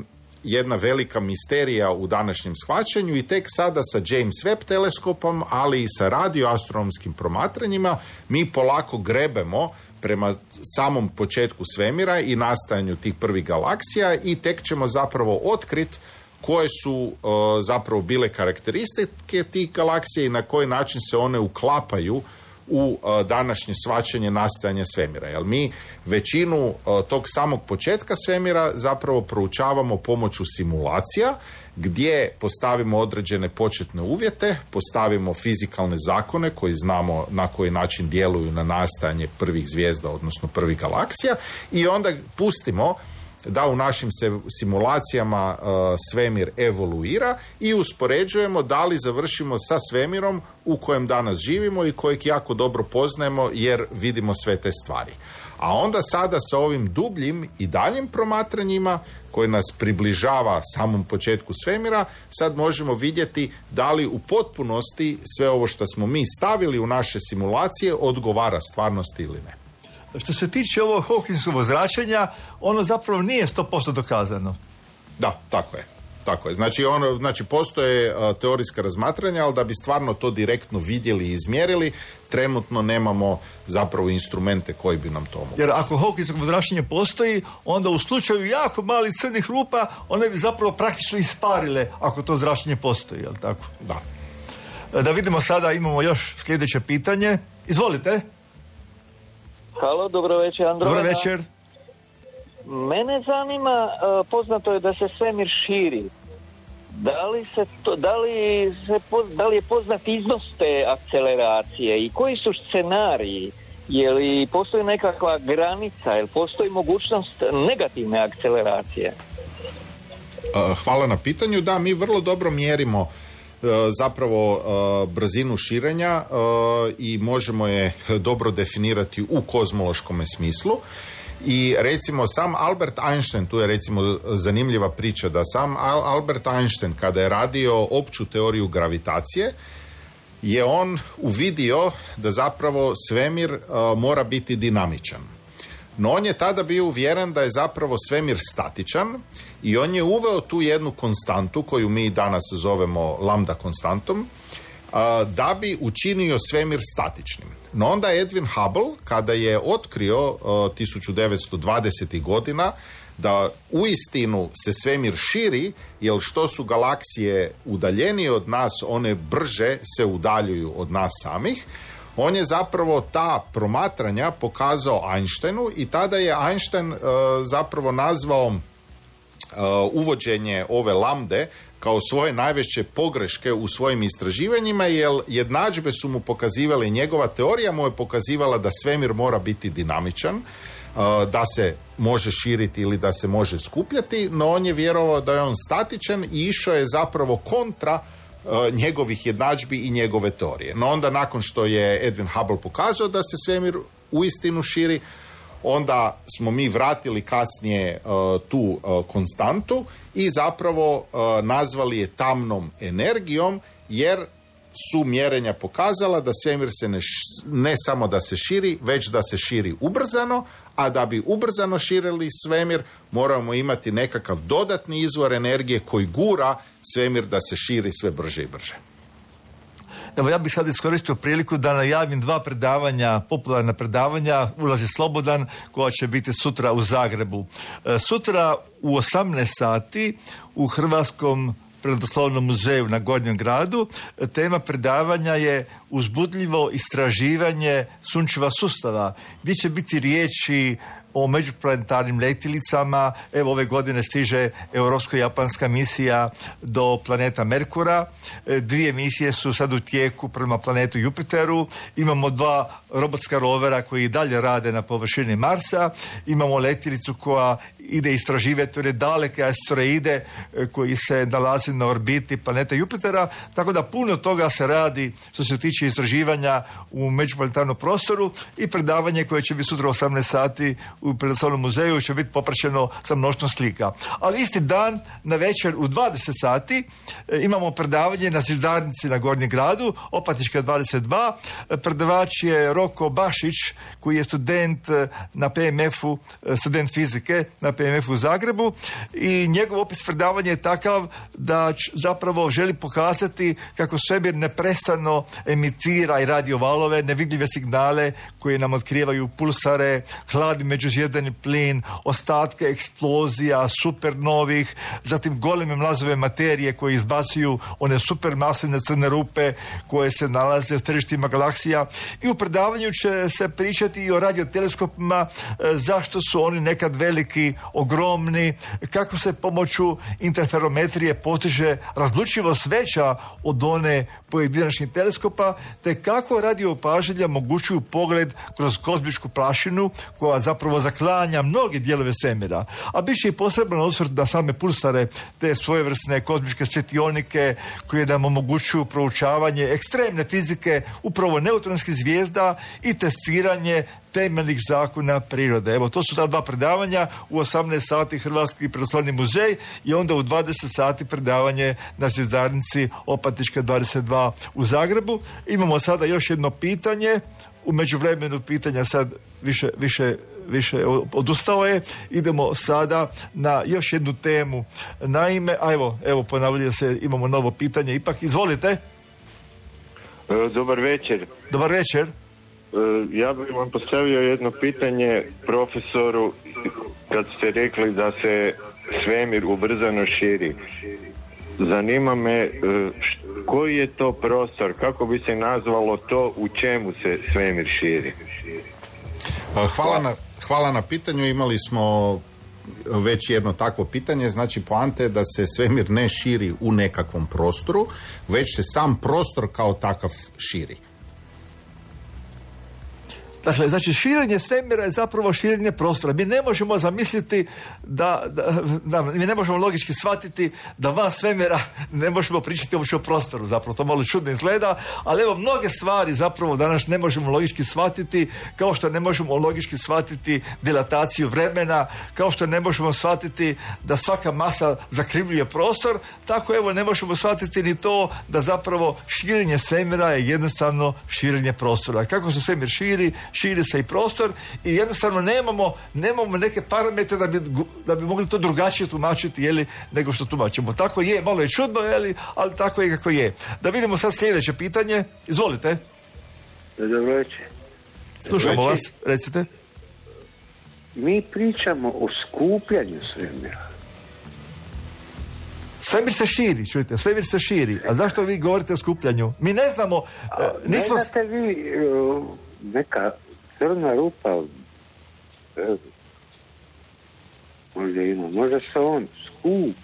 jedna velika misterija u današnjem shvaćanju i tek sada sa James Webb teleskopom, ali i sa radioastronomskim promatranjima mi polako grebemo prema samom početku svemira i nastajanju tih prvih galaksija i tek ćemo zapravo otkriti koje su uh, zapravo bile karakteristike tih galaksija i na koji način se one uklapaju u uh, današnje shvaćanje nastajanja svemira. Jer mi većinu uh, tog samog početka svemira zapravo proučavamo pomoću simulacija gdje postavimo određene početne uvjete, postavimo fizikalne zakone koji znamo na koji način djeluju na nastajanje prvih zvijezda, odnosno prvih galaksija i onda pustimo da u našim se simulacijama uh, svemir evoluira i uspoređujemo da li završimo sa svemirom u kojem danas živimo i kojeg jako dobro poznajemo jer vidimo sve te stvari. A onda sada sa ovim dubljim i daljim promatranjima koji nas približava samom početku svemira, sad možemo vidjeti da li u potpunosti sve ovo što smo mi stavili u naše simulacije odgovara stvarnosti ili ne. Što se tiče ovog Hawkinsovog zračenja, ono zapravo nije sto posto dokazano. Da, tako je. Tako je. Znači, ono, znači postoje uh, teorijska razmatranja, ali da bi stvarno to direktno vidjeli i izmjerili, trenutno nemamo zapravo instrumente koji bi nam to omogućili. Jer ako Hawkinsovo zračenje postoji, onda u slučaju jako malih crnih rupa, one bi zapravo praktično isparile ako to zračenje postoji, jel tako? Da. Da vidimo sada, imamo još sljedeće pitanje. Izvolite. Halo, dobro večer, Andromeda. Dobro večer. Mene zanima, poznato je da se svemir širi. Da li, se to, da li, se, da li je poznat iznos te akceleracije i koji su scenariji? Je li postoji nekakva granica, je li postoji mogućnost negativne akceleracije? Hvala na pitanju. Da, mi vrlo dobro mjerimo zapravo brzinu širenja i možemo je dobro definirati u kozmološkom smislu. I recimo sam Albert Einstein, tu je recimo zanimljiva priča da sam Albert Einstein kada je radio opću teoriju gravitacije je on uvidio da zapravo svemir uh, mora biti dinamičan. No on je tada bio uvjeren da je zapravo svemir statičan i on je uveo tu jednu konstantu koju mi danas zovemo lambda konstantom da bi učinio svemir statičnim. No onda Edwin Hubble, kada je otkrio uh, tisuću devetsto dvadesetih godina da uistinu se svemir širi, jer što su galaksije udaljenije od nas, one brže se udaljuju od nas samih, on je zapravo ta promatranja pokazao Einsteinu i tada je Einstein uh, zapravo nazvao uh, uvođenje ove lambde kao svoje najveće pogreške u svojim istraživanjima, jer jednadžbe su mu pokazivale, njegova teorija mu je pokazivala da svemir mora biti dinamičan, da se može širiti ili da se može skupljati, no on je vjerovao da je on statičan i išao je zapravo kontra njegovih jednadžbi i njegove teorije. No onda nakon što je Edwin Hubble pokazao da se svemir uistinu širi, onda smo mi vratili kasnije uh, tu uh, konstantu i zapravo uh, nazvali je tamnom energijom, jer su mjerenja pokazala da svemir se ne, ne samo da se širi, već da se širi ubrzano, a da bi ubrzano širili svemir, moramo imati nekakav dodatni izvor energije koji gura svemir da se širi sve brže i brže. Evo, ja bih sad iskoristio priliku da najavim dva predavanja, popularna predavanja, Ulazi slobodan, koja će biti sutra u Zagrebu. E, sutra u osamnaest sati u Hrvatskom prirodoslovnom muzeju na Gornjem gradu. Tema predavanja je uzbudljivo istraživanje sunčeva sustava, gdje će biti riječi o međuplanetarnim letjelicama. Evo, ove godine stiže europsko-japanska misija do planeta Merkura. Dvije misije su sad u tijeku prema planetu Jupiteru. Imamo dva robotska rovera koji dalje rade na površini Marsa. Imamo letjelicu koja ide istraživati one daleke asteroide koji se nalazi na orbiti planeta Jupitera. Tako da puno toga se radi što se tiče istraživanja u međuplanetarnom prostoru, i predavanje koje će biti sutra osamnaest sati u Prirodoslovnom muzeju će biti popraćeno sa mnoštvom slika. Ali isti dan, na večer u dvadeset sati, e, imamo predavanje na Zvizdarnici na Gornjem gradu, Opatička dvadeset dva. Predavač je Roko Bašić, koji je student na P M F-u, student fizike na P M F-u u Zagrebu, i njegov opis predavanja je takav da č, zapravo želi pokazati kako svemir neprestano emitira i radiovalove, nevidljive signale koje nam otkrivaju pulsare, hladni međuzvijezdani plin, ostatke eksplozija, supernovih, zatim goleme mlazove materije koje izbacuju one supermasivne crne rupe koje se nalaze u središtima galaksija. I u predavanju će se pričati i o radioteleskopima, zašto su oni nekad veliki, ogromni, kako se pomoću interferometrije postiže razlučivost veća od one pojedinačnih teleskopa, te kako radio opažanja omogućuju pogled kroz kozmičku prašinu koja zapravo zaklanja mnoge dijelove svemira. A bit će i poseban osvrt na same pulsare, te svojevrsne kozmičke svjetionike koje nam omogućuju proučavanje ekstremne fizike, upravo neutronskih zvijezda, i testiranje temeljnih zakona prirode. Evo, to su ta dva predavanja. U osamnaest sati Hrvatski prirodoslovni muzej, i onda u dvadeset sati predavanje na Zvizdarnici Opatička dvadeset dva u Zagrebu. Imamo sada još jedno pitanje. U međuvremenu pitanja sad više, više, više odustao je. Idemo sada na još jednu temu. Naime, a evo, evo ponavlja se, imamo novo pitanje. Ipak, izvolite. Dobar večer. Dobar večer. Ja bih vam postavio jedno pitanje profesoru, kad ste rekli da se svemir ubrzano širi. Zanima me koji je to prostor, kako bi se nazvalo to, u čemu se svemir širi? Hvala na, hvala na pitanju. Imali smo već jedno takvo pitanje. Znači, poanta je da se svemir ne širi u nekakvom prostoru, već se sam prostor kao takav širi. Dakle, znači širenje svemira je zapravo širenje prostora. Mi ne možemo zamisliti da, da, da mi ne možemo logički shvatiti da van svemira ne možemo pričati uopće o prostoru. Zapravo to malo čudno izgleda, ali evo, mnoge stvari zapravo danas ne možemo logički shvatiti, kao što ne možemo logički shvatiti dilataciju vremena, kao što ne možemo shvatiti da svaka masa zakrivljuje prostor, tako evo ne možemo shvatiti ni to da zapravo širenje svemira je jednostavno širenje prostora. Kako se svemir širi, širi se i prostor, i jednostavno nemamo, nemamo neke parametre da bi, da bi mogli to drugačije tumačiti, jeli, nego što tumačimo. Tako je, malo je čudno, jeli, ali tako je kako je. Da vidimo sad sljedeće pitanje. Izvolite. Dobro večer. Slušamo vas, recite. Mi pričamo o skupljanju svemira. Svemir se širi, čujte, svemir se širi. A zašto vi govorite o skupljanju? Mi ne znamo... A, nismo... Ne znate vi uh, neka crna rupa, e, možda ima, možda se on skup.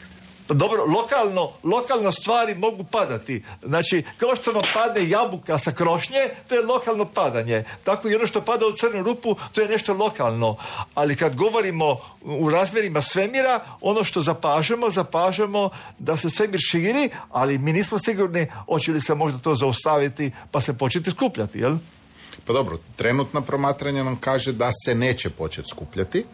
Dobro, lokalno, lokalno stvari mogu padati. Znači, kao što vam padne jabuka sa krošnje, to je lokalno padanje. Tako i ono što pada u crnu rupu, to je nešto lokalno. Ali kad govorimo u razmjerima svemira, ono što zapažemo, zapažemo da se svemir širi, ali mi nismo sigurni hoće li se možda to zaustaviti pa se početi skupljati, jel? Pa dobro, trenutna promatranja nam kaže da se neće početi skupljati,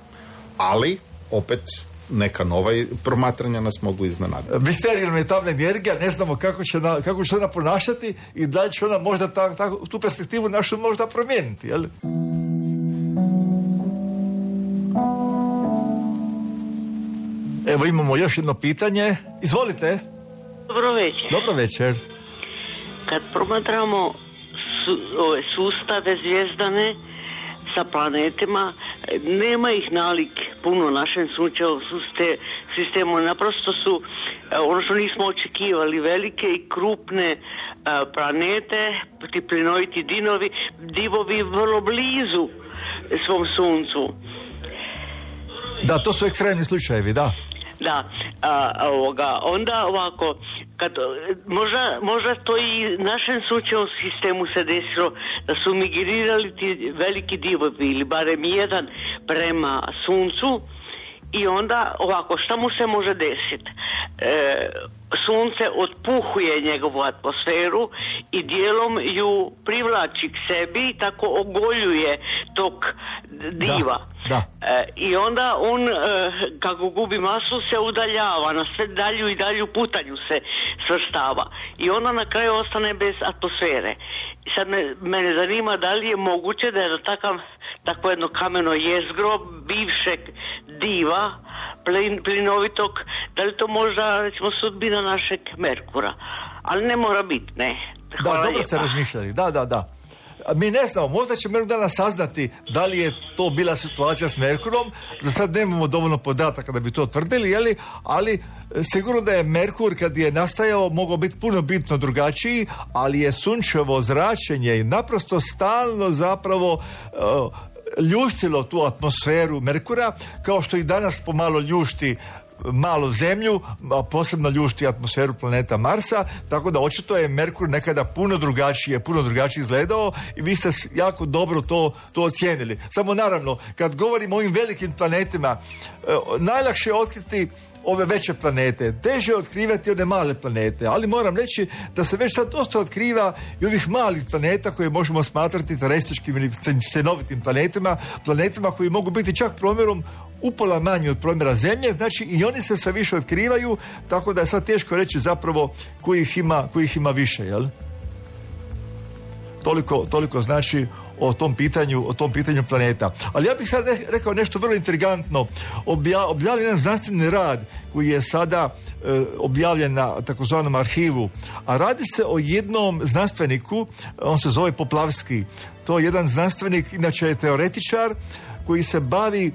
ali opet neka nova promatranja nas mogu iznenaditi. Misterijom je tamna energija, ne znamo kako će, na, kako će ona ponašati i da li će ona možda ta, ta, tu perspektivu našu možda promijeniti, jel? Evo imamo još jedno pitanje. Izvolite. Dobro večer. Dobro večer. Kad promatramo su, ove sustave zvijezdane sa planetima, nema ih nalik puno našem sunčevom sistemu. Naprosto su, ono što nismo očekivali, velike i krupne planete, ti plinoviti dinovi, divovi vrlo blizu svom suncu. Da, to su ekstremni slučajevi, da. Da, a, ovoga, onda ovako, kad, možda, možda to i našem sunčevom sistemu se desilo da su migrirali ti veliki divovi ili barem jedan prema suncu i onda ovako, šta mu se može desiti? E, sunce otpuhuje njegovu atmosferu i dijelom ju privlači k sebi i tako ogoljuje tog diva. Da, da. E, I onda on, e, kako gubi masu, se udaljava, na sve dalju i dalju putanju se svrstava. I onda na kraju ostane bez atmosfere. I sad me, mene zanima da li je moguće da je da takav, takvo jedno kameno jezgro bivšeg diva, plin, plinovitog, da li to možda, recimo, sudbina našeg Merkura. Ali ne mora biti, ne. Hvala da, dobro lijepa. ste razmišljali, da, da, da. Mi ne znamo, možda ćemo jednog dana saznati da li je to bila situacija s Merkurom. Za sad nemamo dovoljno podataka da bi to tvrdili, jeli? Ali sigurno da je Merkur kad je nastajao mogao biti puno bitno drugačiji, ali je sunčevo zračenje i naprosto stalno zapravo uh, ljuštilo tu atmosferu Merkura, kao što i danas pomalo ljušti malu zemlju, a posebno ljušti atmosferu planeta Marsa, tako da očito je Merkur nekada puno drugačije, puno drugačije izgledao i vi ste jako dobro to, to ocijenili. Samo naravno, kad govorimo o ovim velikim planetima, eh, najlakše je otkriti ove veće planete, teže je otkrivati one male planete, ali moram reći da se već sad dosta otkriva i ovih malih planeta koje možemo smatrati terestičkim ili scenovitim planetima, planetima koji mogu biti čak promjerom upola manji od promjera Zemlje, znači i oni se sve više otkrivaju, tako da je sad teško reći zapravo kojih ima, kojih ima više, jel? Toliko, toliko znači o tom pitanju, o tom pitanju planeta. Ali ja bih sad rekao nešto vrlo intrigantno. Obja, objavljen jedan znanstveni rad koji je sada e, objavljen na takozvanom arhivu, a radi se o jednom znanstveniku, on se zove Poplavski. To je jedan znanstvenik, inače je teoretičar koji se bavi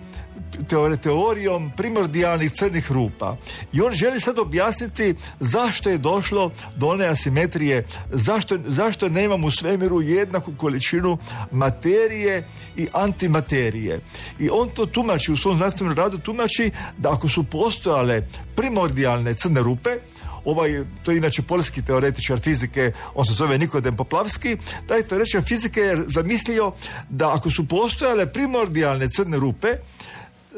teore, teorijom primordijalnih crnih rupa. I on želi sad objasniti zašto je došlo do one asimetrije, zašto, zašto nemamo u svemiru jednaku količinu materije i antimaterije. I on to tumači, u svom znanstvenom radu tumači da ako su postojale primordijalne crne rupe, ovaj, to je inače poljski teoretičar fizike, on se zove Nikodem Poplavski, taj teoretičar fizike je zamislio da ako su postojale primordijalne crne rupe,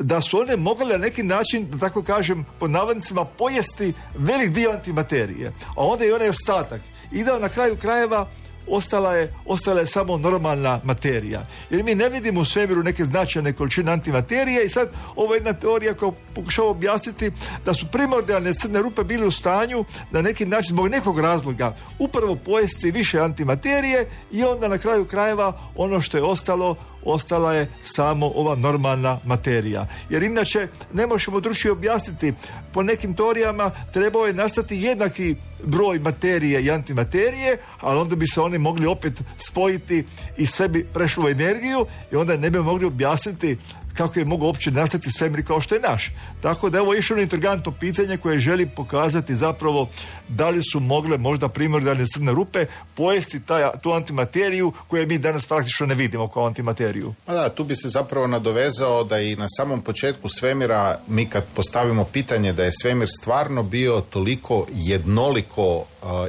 da su one mogle na neki način, da tako kažem, po navodnicima, pojesti velik dio antimaterije. A onda je onaj ostatak. I da na kraju krajeva ostala je, ostala je samo normalna materija. Jer mi ne vidimo u svemiru neke značajne količine antimaterije i sad ovo je jedna teorija koja pokušava objasniti da su primordijalne crne rupe bili u stanju na neki način zbog nekog razloga upravo pojesti više antimaterije i onda na kraju krajeva ono što je ostalo ostala je samo ova normalna materija. Jer inače ne možemo drugčije objasniti. Po nekim teorijama trebao je nastati jednaki broj materije i antimaterije, ali onda bi se oni mogli opet spojiti i sve bi prešlo u energiju i onda ne bi mogli objasniti kako je mogao uopće nastati svemir kao što je naš. Tako da evo je išlo intrigantno pitanje koje želi pokazati zapravo da li su mogle možda primordijalne crne rupe pojesti taj, tu antimateriju koju mi danas praktično ne vidimo kao antimateriju. Pa da, tu bi se zapravo nadovezao da i na samom početku svemira mi kad postavimo pitanje da je svemir stvarno bio toliko jednoliko uh,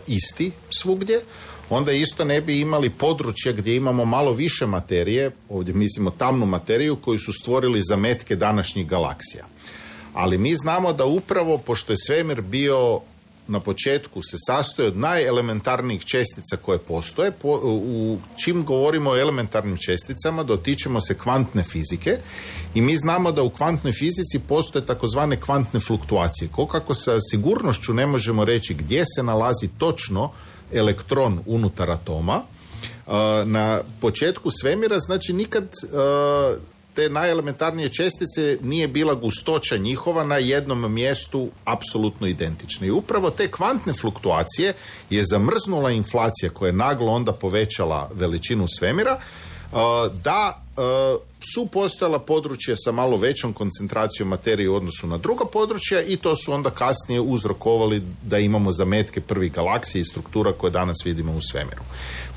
isti svugdje, onda isto ne bi imali područje gdje imamo malo više materije, ovdje mislimo tamnu materiju, koju su stvorili zametke današnjih galaksija. Ali mi znamo da upravo, pošto je svemir bio na početku se sastoji od najelementarnijih čestica koje postoje. Po, u čim govorimo o elementarnim česticama, dotičemo se kvantne fizike i mi znamo da u kvantnoj fizici postoje takozvane kvantne fluktuacije. Kako sa sigurnošću ne možemo reći gdje se nalazi točno elektron unutar atoma, na početku svemira, znači nikad te najelementarnije čestice nije bila gustoća njihova na jednom mjestu apsolutno identična. I upravo te kvantne fluktuacije je zamrznula inflacija koja je naglo onda povećala veličinu svemira, da su postojala područja sa malo većom koncentracijom materije u odnosu na druga područja i to su onda kasnije uzrokovali da imamo zametke prvih galaksija i struktura koje danas vidimo u svemiru.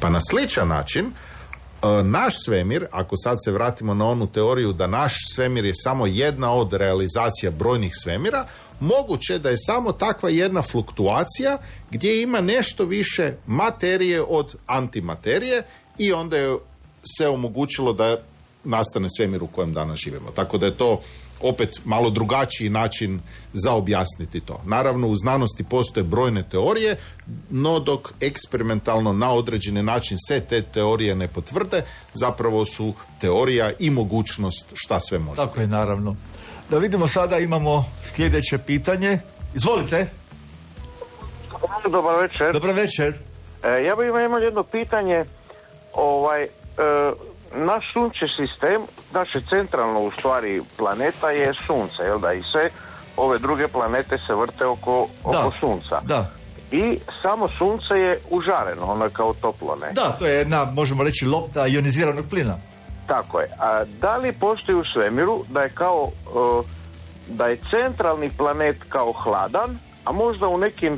Pa na sličan način naš svemir, ako sad se vratimo na onu teoriju da naš svemir je samo jedna od realizacija brojnih svemira, moguće da je samo takva jedna fluktuacija gdje ima nešto više materije od antimaterije i onda je se omogućilo da nastane svemir u kojem danas živimo. Tako da je to opet malo drugačiji način za objasniti to. Naravno, u znanosti postoje brojne teorije, no dok eksperimentalno na određeni način se te teorije ne potvrde, zapravo su teorija i mogućnost šta sve može. Tako je, naravno. Da vidimo sada, imamo sljedeće pitanje. Izvolite. Dobar večer. Dobar večer. E, ja bih imao jedno pitanje. Ovaj, e, naš sunčev sistem, naše centralno u stvari planeta je sunce, jel da? I sve ove druge planete se vrte oko, da, oko sunca. Da. I samo sunce je užareno, ono je kao toplo, ne? Da, to je jedna, možemo reći, lopta ioniziranog plina. Tako je. A da li postoji u svemiru da je kao uh, da je centralni planet kao hladan, a možda u nekim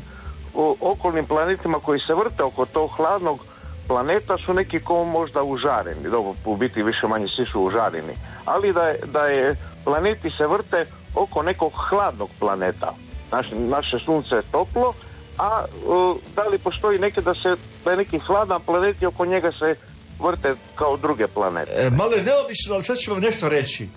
uh, okolnim planetima koji se vrte oko tog hladnog planeta su neki ko možda užareni, dobro, u biti više manje svi su užareni, ali da je, da je planeti se vrte oko nekog hladnog planeta. Naš, naše sunce je toplo, a uh, da li postoji neke da se, da je neki hladan planet i oko njega se vrte kao druge planete? E, malo je neobično, ali sad ću vam nešto reći.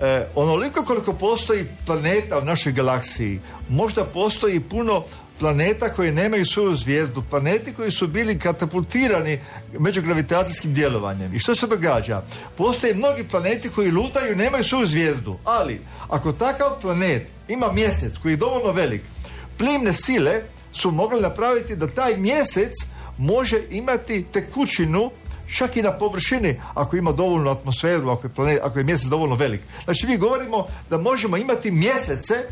E, onoliko koliko postoji planeta u našoj galaksiji, možda postoji puno planeta koji nemaju svoju zvijezdu, planeti koji su bili katapultirani međugravitacijskim djelovanjem. I što se događa? Postoje mnogi planeti koji lutaju i nemaju svoju zvijezdu, ali ako takav planet ima mjesec koji je dovoljno velik, plimne sile su mogli napraviti da taj mjesec može imati tekućinu čak i na površini, ako ima dovoljnu atmosferu, ako je, planet, ako je mjesec dovoljno velik. Znači, mi govorimo da možemo imati mjesece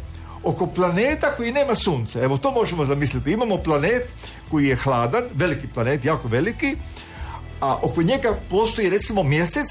oko planeta koji nema sunce. Evo, to možemo zamisliti. Imamo planet koji je hladan, veliki planet, jako veliki, a oko njega postoji, recimo, mjesec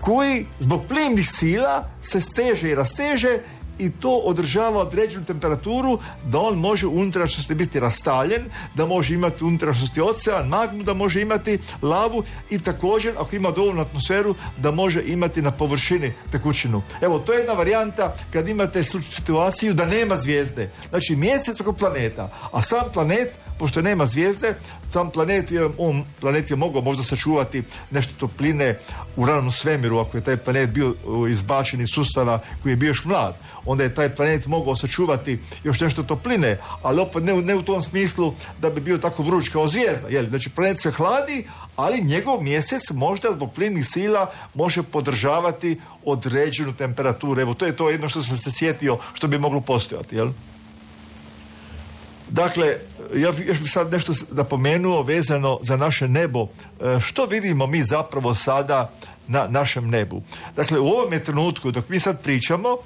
koji zbog plimnih sila se steže i rasteže i to održava određenu temperaturu da on može u unutrašnjosti biti rastaljen, da može imati u unutrašnjosti ocean, magmu, da može imati lavu i također, ako ima dovoljnu atmosferu, da može imati na površini tekućinu. Evo, to je jedna varijanta kad imate situaciju da nema zvijezde. Znači, mjesec oko planeta, a sam planet, pošto nema zvijezde, sam planet je, on, planet je mogao možda sačuvati nešto topline u ranom svemiru, ako je taj planet bio izbačen iz sustava koji je bio još mlad, onda je taj planet mogao sačuvati još nešto topline, ali opet ne, ne u tom smislu da bi bio tako vruć kao zvijezda. Jel? Znači, planet se hladi, ali njegov mjesec možda zbog plimnih sila može podržavati određenu temperaturu. Evo, to je to jedno što sam se sjetio što bi moglo postojati, jel? Dakle, ja još bih sad nešto napomenuo vezano za naše nebo. Što vidimo mi zapravo sada na našem nebu? Dakle, u ovom trenutku, dok mi sad pričamo,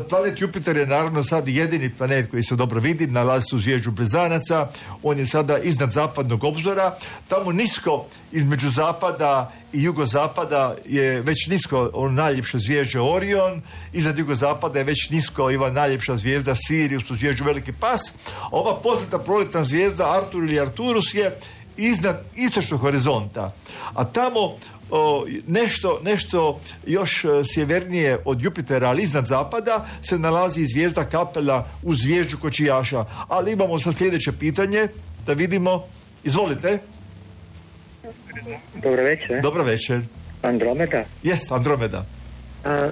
planet Jupiter je naravno sad jedini planet koji se dobro vidi, nalazi se u zvijezdu Blizanaca, on je sada iznad zapadnog obzora, tamo nisko između zapada i jugozapada je već nisko ono najljepša zvijezda Orion, iznad jugozapada je već nisko ova najljepša zvijezda Sirius u zvijezdu Veliki pas, a ova poznata proletna zvijezda Artur ili Arturus je iznad istočnog horizonta, a tamo O, nešto, nešto još sjevernije od Jupitera, ali iznad zapada se nalazi zvijezda Kapela u zvijezdu Kočijaša. Ali imamo sad sljedeće pitanje, da vidimo. Izvolite. Dobro večer. Dobro večer. Andromeda? Jest, Andromeda. A,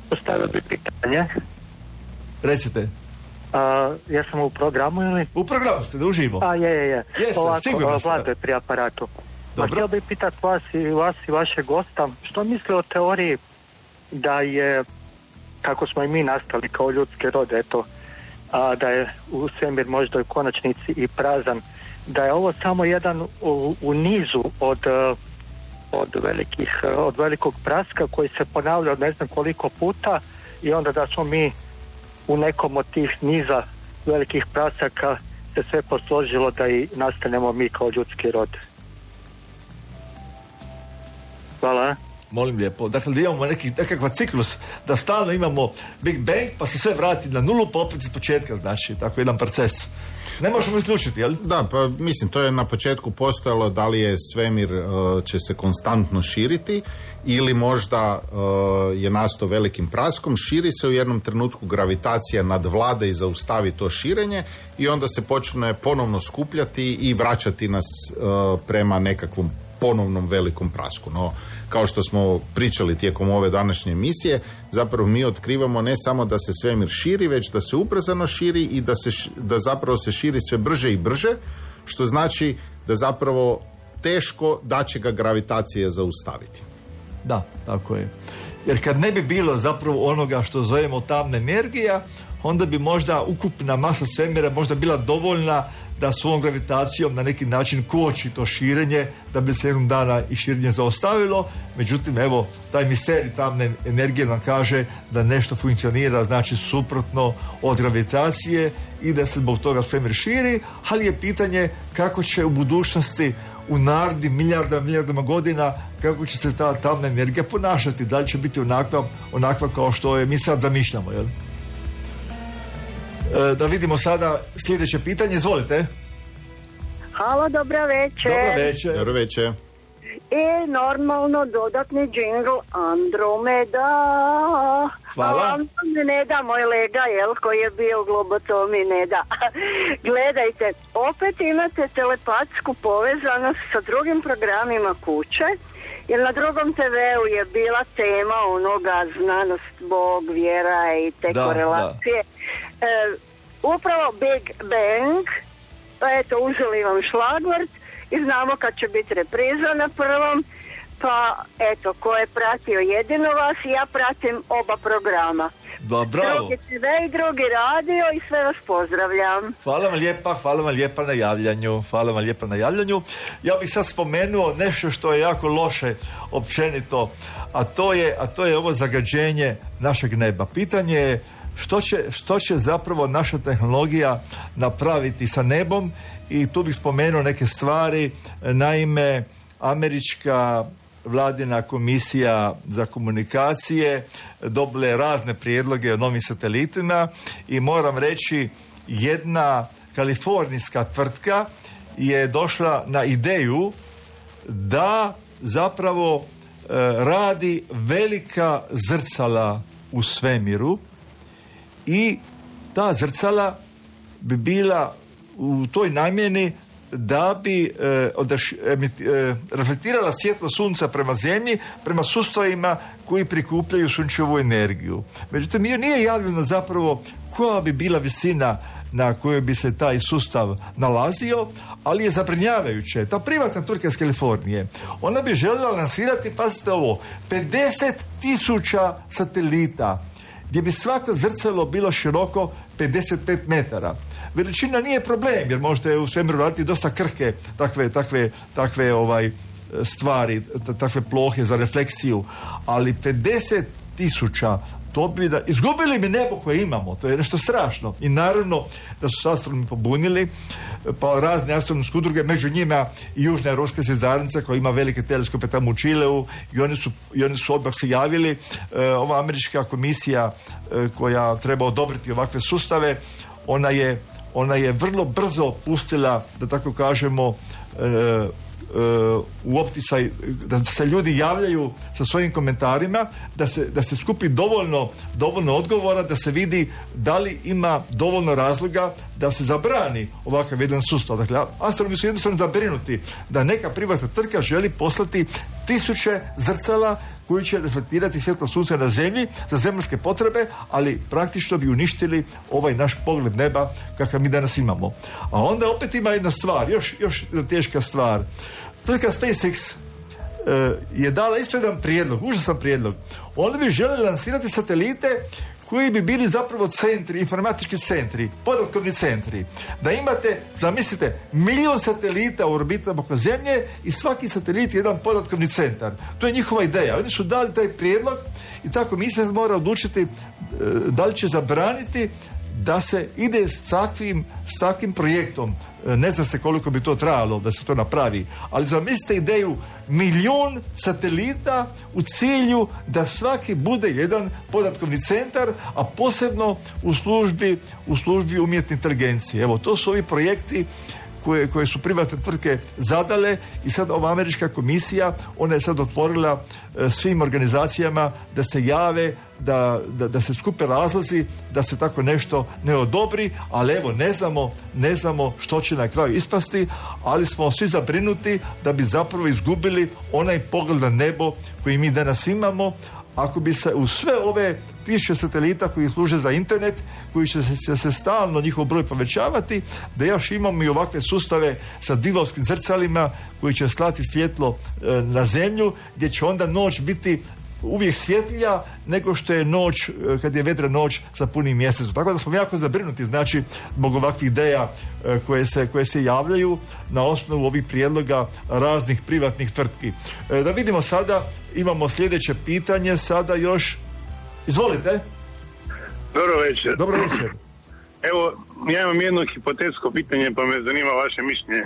postavio bi pitanje. Recite. A, ja sam u programu ili? U programu ste, da uživo. A, je, je, je. Jeste, Ovako, sigurno ste. Vlado je pri aparatu. Dobro. Ma, htio bih pitati vas i vas i vašeg gosta, što misle o teoriji da je, kako smo i mi nastali kao ljudski rod, eto, a da je u svemir možda u konačnici i prazan, da je ovo samo jedan u, u nizu od, od, velikih, od velikog praska koji se ponavlja od ne znam koliko puta i onda da smo mi u nekom od tih niza velikih prasaka se sve posložilo da i nastanemo mi kao ljudski rod. Hvala. Molim lijepo. Dakle, da imamo neki, nekakav ciklus, da stalno imamo Big Bang, pa se sve vrati na nulu, pa opet iz početka, znači, tako jedan proces. Ne možemo isključiti, jel? Da, pa mislim, to je na početku postojalo da li je svemir uh, će se konstantno širiti ili možda uh, je nastao velikim praskom, širi se u jednom trenutku, gravitacija nadvlada i zaustavi to širenje i onda se počne ponovno skupljati i vraćati nas uh, prema nekakvom ponovnom velikom prasku. No, kao što smo pričali tijekom ove današnje emisije, zapravo mi otkrivamo ne samo da se svemir širi, već da se ubrzano širi i da, se, da zapravo se širi sve brže i brže, što znači da zapravo teško da će ga gravitacija zaustaviti. Da, tako je. Jer kad ne bi bilo zapravo onoga što zovemo tamna energija, onda bi možda ukupna masa svemira možda bila dovoljna da svom gravitacijom na neki način koči to širenje, da bi se jednog dana i širenje zaustavilo. Međutim, evo, taj misterij tamne energije nam kaže da nešto funkcionira, znači suprotno od gravitacije i da se zbog toga svemir širi, ali je pitanje kako će u budućnosti, u narednim milijardama, milijardama godina, kako će se ta tamna energija ponašati, da li će biti onakva, onakva kao što je mi sad zamišljamo, jel? Da vidimo sada sljedeće pitanje, izvolite. Halo, dobro večer. Dobro večer. Dobro večer. I normalno dodatni džingl Andromeda. Hvala. Andromeda, moj lega, jel, koji je bio u globotomi, ne da. Gledajte, opet imate telepatsku povezanost sa drugim programima kuće, jer na drugom te veu je bila tema onoga znanost, Bog, vjera i te da, korelacije. Da. E, upravo Big Bang, pa eto, uzeli vam šlagvort i znamo kad će biti repriza na prvom, pa eto, ko je pratio jedino vas, ja pratim oba programa. Da, bravo. Drugi te ve i drugi radio i sve vas pozdravljam. Hvala vam lijepa, hvala vam lijepa na javljanju. Hvala vam lijepa na javljanju. Ja bih sad spomenuo nešto što je jako loše općenito, a to je, a to je ovo zagađenje našeg neba. Pitanje je što će, što će zapravo naša tehnologija napraviti sa nebom i tu bih spomenuo neke stvari. Naime, američka vladina komisija za komunikacije dobila je razne prijedloge o novim satelitima i moram reći, jedna kalifornijska tvrtka je došla na ideju da zapravo e, radi velika zrcala u svemiru i ta zrcala bi bila u toj namjeni da bi e, odaš, emit, e, reflektirala svjetlo sunca prema zemlji, prema sustavima koji prikupljaju sunčevu energiju. Međutim, nije javljeno zapravo koja bi bila visina na kojoj bi se taj sustav nalazio, ali je zabrinjavajuće. Ta privatna tvrtka iz Kalifornije, ona bi željela lansirati, pazite ovo, pedeset tisuća satelita, gdje bi svako zrcalo bilo široko pedeset pet metara. Veličina nije problem, jer možete u svemiru raditi dosta krhke takve, takve, takve ovaj, stvari, takve plohe za refleksiju, ali pedeset tisuća, to bi da... Izgubili bi nebo koje imamo, to je nešto strašno. I naravno da su se astronomi pobunili, pa razne astronomske udruge, među njima i Južna europska zvjezdarnica koja ima velike teleskope tamo u Čileu i oni su, i oni su odmah se javili. E, ova američka komisija e, koja treba odobriti ovakve sustave, ona je ona je vrlo brzo pustila, da tako kažemo, e, e, u opticaj, da se ljudi javljaju sa svojim komentarima, da se, da se skupi dovoljno, dovoljno odgovora, da se vidi da li ima dovoljno razloga da se zabrani ovakav jedan sustav. Dakle, astronomi su jednostavno zabrinuti da neka privatna tvrtka želi poslati tisuće zrcala koji će reflektirati svjetlo sunca na zemlji za zemaljske potrebe, ali praktično bi uništili ovaj naš pogled neba kakav mi danas imamo. A onda opet ima jedna stvar, još, još jedna teška stvar. Tvrtka SpaceX e, je dala isto jedan prijedlog, užasan prijedlog. Oni bi željeli lansirati satelite koji bi bili zapravo centri, informatički centri, podatkovni centri. Da imate, zamislite, milion satelita u orbitama oko Zemlje i svaki satelit je jedan podatkovni centar. To je njihova ideja. Oni su dali taj prijedlog i tako mi se mora odlučiti da li će zabraniti da se ide s takvim, s takvim projektom. Ne zna se koliko bi to trajalo da se to napravi, ali zamislite ideju milijun satelita u cilju da svaki bude jedan podatkovni centar, a posebno u službi, u službi umjetne inteligencije. Evo, to su ovi projekti koje, koje su privatne tvrtke zadale i sad ova američka komisija, ona je sad otvorila e, svim organizacijama da se jave, da, da, da se skupe razlozi, da se tako nešto ne odobri, ali evo, ne znamo, ne znamo što će na kraju ispasti, ali smo svi zabrinuti da bi zapravo izgubili onaj pogled na nebo koji mi danas imamo, ako bi se u sve ove tisuće satelita koji služe za internet, koji će se, će se stalno njihov broj povećavati, da još imamo i ovakve sustave sa divovskim zrcalima koji će slati svjetlo e, na zemlju, gdje će onda noć biti uvijek svjetlija nego što je noć, kad je vedra noć sa punim mjesecom. Tako da smo jako zabrinuti, znači, zbog ovakvih ideja koje se, koje se javljaju na osnovu ovih prijedloga raznih privatnih tvrtki. Da vidimo sada, imamo sljedeće pitanje, sada još. Izvolite. Dobro večer. Dobro večer. Evo, ja imam jedno hipotetsko pitanje, pa me zanima vaše mišljenje.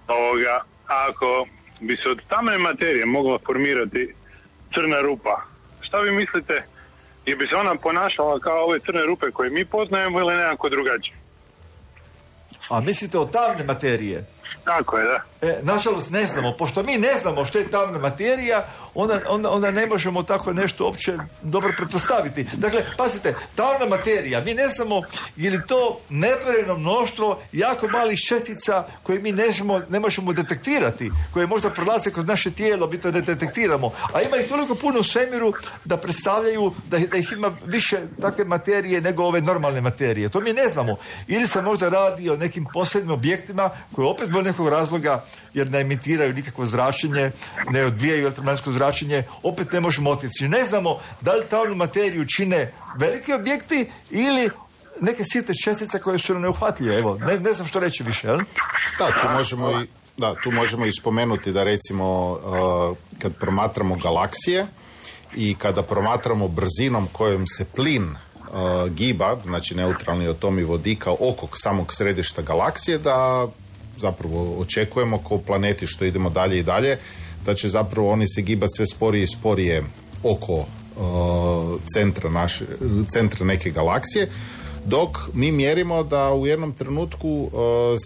Ovoga, ako bi se od tamne materije mogla formirati crna rupa, šta vi mislite, je bi se ona ponašala kao ove crne rupe koje mi poznajemo ili nekako drugačije? A mislite o tamne materije? Tako je, da. E, nažalost ne znamo, pošto mi ne znamo što je tamna materija, onda, onda, onda ne možemo tako nešto uopće dobro pretpostaviti. Dakle, pazite, tamna materija, mi ne znamo je li to nebrojeno mnoštvo jako malih čestica koje mi ne možemo, ne možemo detektirati, koje možda prolaze kroz naše tijelo, mi to ne detektiramo. A ima ih toliko puno u svemiru da predstavljaju da, da ih ima više takve materije nego ove normalne materije. To mi ne znamo. Ili se možda radi o nekim posebnim objektima koje opet zbog nekog razloga, jer ne emitiraju nikakvo zračenje, ne odvijaju elektromagnetsko zračenje, opet ne možemo otkriti. Ne znamo da li tamnu materiju čine veliki objekti ili neke sitne čestice koje su neuhvatljive. Evo, ne, ne znam što reći više, jel? Da, tu možemo i, da, tu možemo i spomenuti da recimo uh, kad promatramo galaksije i kada promatramo brzinom kojom se plin uh, giba, znači neutralni atomi vodika oko samog središta galaksije, da zapravo očekujemo kao planeti što idemo dalje i dalje, da će zapravo oni se gibati sve sporije i sporije oko uh, centra, naše, centra neke galaksije, dok mi mjerimo da u jednom trenutku uh,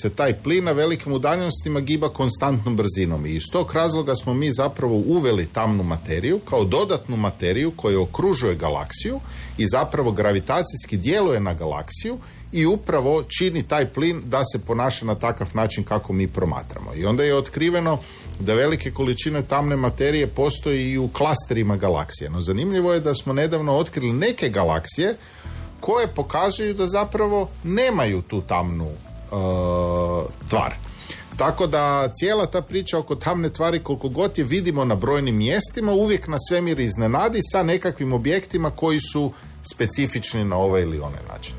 se taj plin na velikim udaljenostima giba konstantnom brzinom. I iz tog razloga smo mi zapravo uveli tamnu materiju kao dodatnu materiju koja okružuje galaksiju i zapravo gravitacijski djeluje na galaksiju i upravo čini taj plin da se ponaša na takav način kako mi promatramo. I onda je otkriveno da velike količine tamne materije postoji i u klasterima galaksije. No zanimljivo je da smo nedavno otkrili neke galaksije koje pokazuju da zapravo nemaju tu tamnu uh, tvar. Tako da cijela ta priča oko tamne tvari, koliko god je vidimo na brojnim mjestima, uvijek na svemir iznenadi sa nekakvim objektima koji su specifični na ovaj ili onaj način.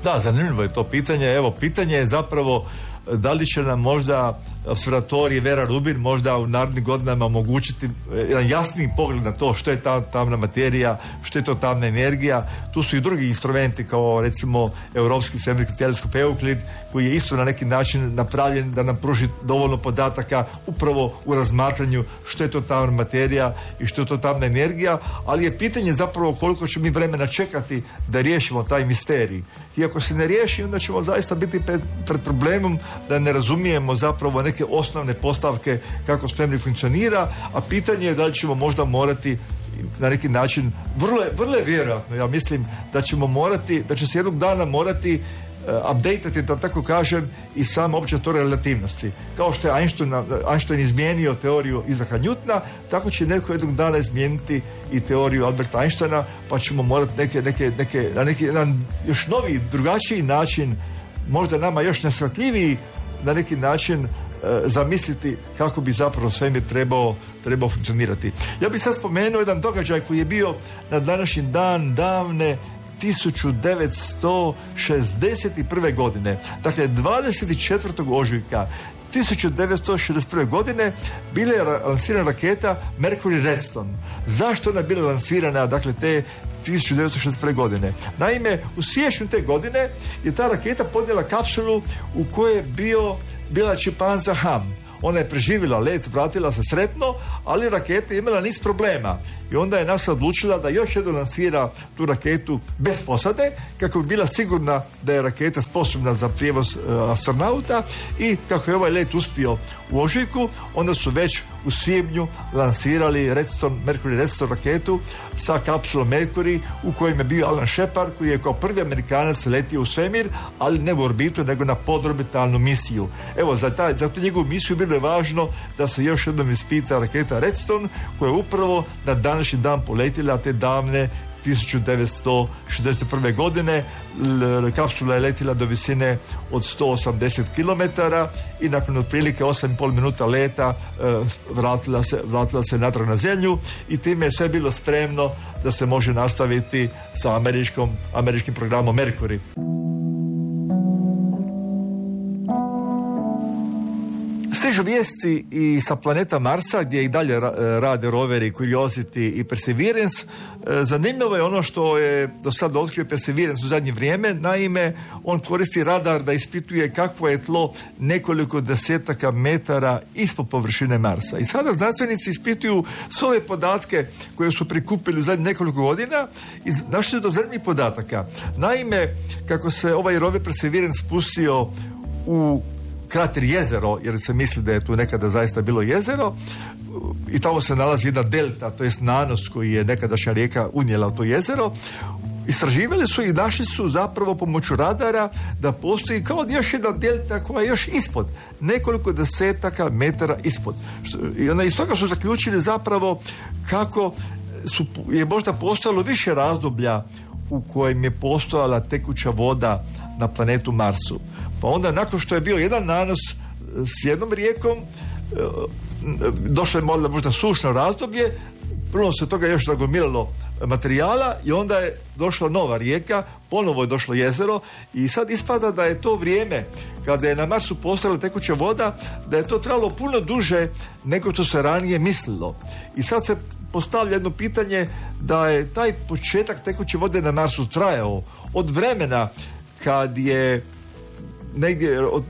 Da, zanimljivo je to pitanje. Evo, pitanje je zapravo da li će nam možda observatorij Vera Rubin možda u narednim godinama omogućiti jedan jasniji pogled na to što je ta tamna materija, što je to tamna energija. Tu su i drugi instrumenti kao recimo Europski svemirski teleskop Euklid, koji je isto na neki način napravljen da nam pruži dovoljno podataka upravo u razmatranju što je to tamna materija i što je to tamna energija, ali je pitanje zapravo koliko će mi vremena čekati da riješimo taj misterij. I ako se ne riješi, onda ćemo zaista biti pred, pred problemom da ne razumijemo zapravo neke osnovne postavke kako svemir funkcionira, a pitanje je da li ćemo možda morati na neki način, vrlo je, vrlo je vjerojatno, ja mislim da ćemo morati, da će se jednog dana morati updateati, da tako kažem, i sama opća teorija relativnosti. Kao što je Einstein, Einstein izmijenio teoriju Isaaca Newtona, tako će neko jednog dana izmijeniti i teoriju Alberta Einsteina, pa ćemo morati neke, neke, neke, na neki jedan još novi, drugačiji način, možda nama još neshvatljiviji na neki način zamisliti kako bi zapravo svemir trebao, trebao funkcionirati. Ja bih sad spomenuo jedan događaj koji je bio na današnji dan davne tisuću devetsto šezdeset prve godine. Dakle, dvadeset četvrtog ožujka tisuću devetsto šezdeset prve godine bila je lansirana raketa Mercury Redstone. Zašto ona bila lansirana, dakle, te tisuću devetsto šezdeset prve godine? Naime, u siječnju te godine je ta raketa podnijela kapsulu u kojoj je bio, bila čimpanza Ham. Ona je preživjela let, vratila se sretno, ali raketa je imala niz problema. I onda je NASA odlučila da još jednom lansira tu raketu bez posade, kako bi bila sigurna da je raketa sposobna za prijevoz uh, astronauta, i kako je ovaj let uspio u ožujku, onda su već u svibnju lansirali Redstone, Mercury Redstone raketu sa kapsulom Mercury, u kojem je bio Alan Shepard, koji je kao prvi Amerikanac letio u svemir, ali ne u orbitu, nego na podorbitalnu misiju. Evo, za, taj, za tu njegovu misiju bilo je važno da se još jednom ispita raketa Redstone, koja je upravo na današnji dan poletila te davne tisuću devetsto šezdeset prve godine. Kapsula je letila do visine od sto osamdeset kilometara i nakon otprilike osam i pol minuta leta vratila se, vratila se natrag na zemlju, i time je sve bilo spremno da se može nastaviti sa američkom, američkim programom Mercury. Stižu vijesti i sa planeta Marsa, gdje i dalje rade roveri Curiosity i Perseverance. Zanimljivo je ono što je do sada otkrio Perseverance u zadnje vrijeme. Naime, on koristi radar da ispituje kakvo je tlo nekoliko desetaka metara ispod površine Marsa. I sada znanstvenici ispituju sve ove podatke koje su prikupili u zadnjih nekoliko godina i našli do zanimljivih podataka. Naime, kako se ovaj rover Perseverance spustio u krater jezero, jer se misli da je tu nekada zaista bilo jezero, i tamo se nalazi jedna delta, to jest nanos koji je nekadašnja rijeka unijela u to jezero. Istraživali su i našli su zapravo pomoću radara da postoji kao još jedna delta koja je još ispod, nekoliko desetaka metara ispod. I onda iz toga su zaključili zapravo kako su, je možda postojalo više razdoblja u kojem je postojala tekuća voda na planetu Marsu. Pa onda, nakon što je bio jedan nanos s jednom rijekom, došlo je možda sušno razdoblje, prvo se toga još nagomilalo materijala i onda je došla nova rijeka, ponovo je došlo jezero, i sad ispada da je to vrijeme kada je na Marsu postojala tekuća voda, da je to trebalo puno duže nego što se ranije mislilo. I sad se postavlja jedno pitanje da je taj početak tekuće vode na Marsu trajao od vremena kad je negdje, od,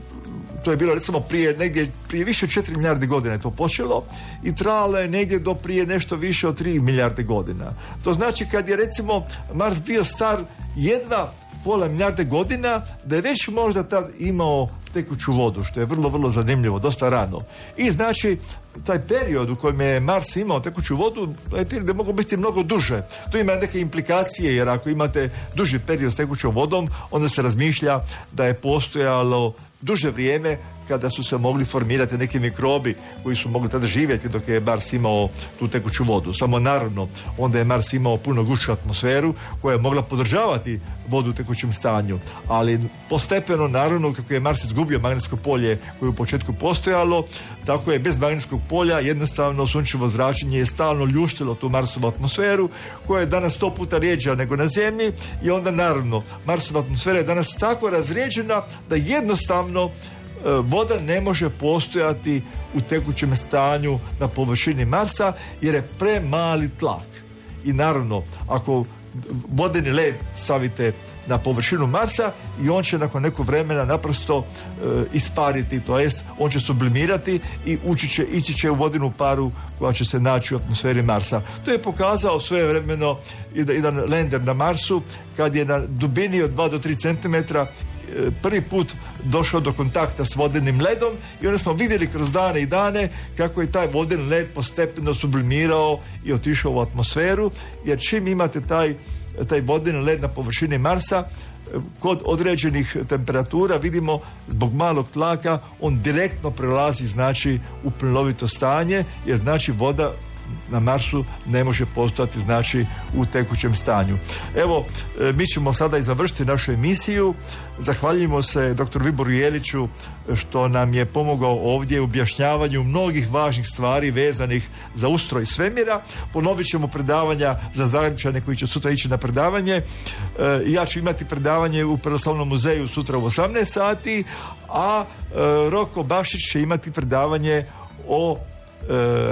to je bilo recimo prije negdje prije više od četiri milijarde godina je to počelo i trajalo je negdje do prije nešto više od tri milijarde godina. To znači kad je recimo Mars bio star jedva pola milijarde godina, da je već možda tad imao tekuću vodu, što je vrlo, vrlo zanimljivo, dosta rano. I znači, taj period u kojem je Mars imao tekuću vodu, taj period je mogao biti mnogo duže. Tu ima neke implikacije, jer ako imate duži period s tekućom vodom, onda se razmišlja da je postojalo duže vrijeme kada su se mogli formirati neki mikrobi koji su mogli tada živjeti dok je Mars imao tu tekuću vodu. Samo naravno, onda je Mars imao puno gušću atmosferu koja je mogla podržavati vodu u tekućem stanju. Ali postepeno, naravno, kako je Mars izgubio magnetsko polje koje je u početku postojalo, tako je bez magnetskog polja jednostavno sunčevo zračenje je stalno ljuštilo tu Marsovu atmosferu, koja je danas sto puta rijeđa nego na Zemlji, i onda naravno Marsova atmosfera je danas tako razrijeđena da jednostavno voda ne može postojati u tekućem stanju na površini Marsa jer je premali tlak. I naravno, ako vodeni led stavite na površinu Marsa, i on će nakon nekog vremena naprosto e, ispariti, to jest on će sublimirati i ući će, ići će u vodenu paru koja će se naći u atmosferi Marsa. To je pokazao svojevremeno jedan lander na Marsu kad je na dubini od dva do tri centimetra prvi put došao do kontakta s vodenim ledom, i onda smo vidjeli kroz dane i dane kako je taj vodeni led postepeno sublimirao i otišao u atmosferu, jer čim imate taj, taj vodeni led na površini Marsa, kod određenih temperatura vidimo zbog malog tlaka on direktno prelazi znači u plinovito stanje, jer znači voda na Marsu ne može postojati znači u tekućem stanju. Evo, mi ćemo sada i završiti našu emisiju. Zahvaljujemo se doktoru Viboru Jeliću što nam je pomogao ovdje u objašnjavanju mnogih važnih stvari vezanih za ustroj svemira. Ponovit ćemo predavanja za Zagrebčane koji će sutra ići na predavanje. Ja ću imati predavanje u Pravoslavnom muzeju sutra u osamnaest sati, a Roko Bašić će imati predavanje o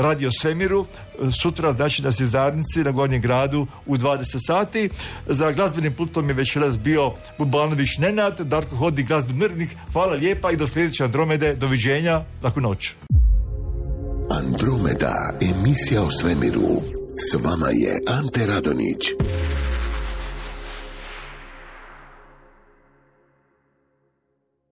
radio svemiru sutra, znači na Zvjezdarnici na Gornjem gradu u dvadeset sati. Za glazbenim putom je večeras bio Bubanović Nenad, Darko Hodnik, glazbeni urednik. Hvala lijepa i do sljedeće Andromede. Doviđenja, laku noć. Andromeda, emisija o svemiru. S vama je Ante Radonić.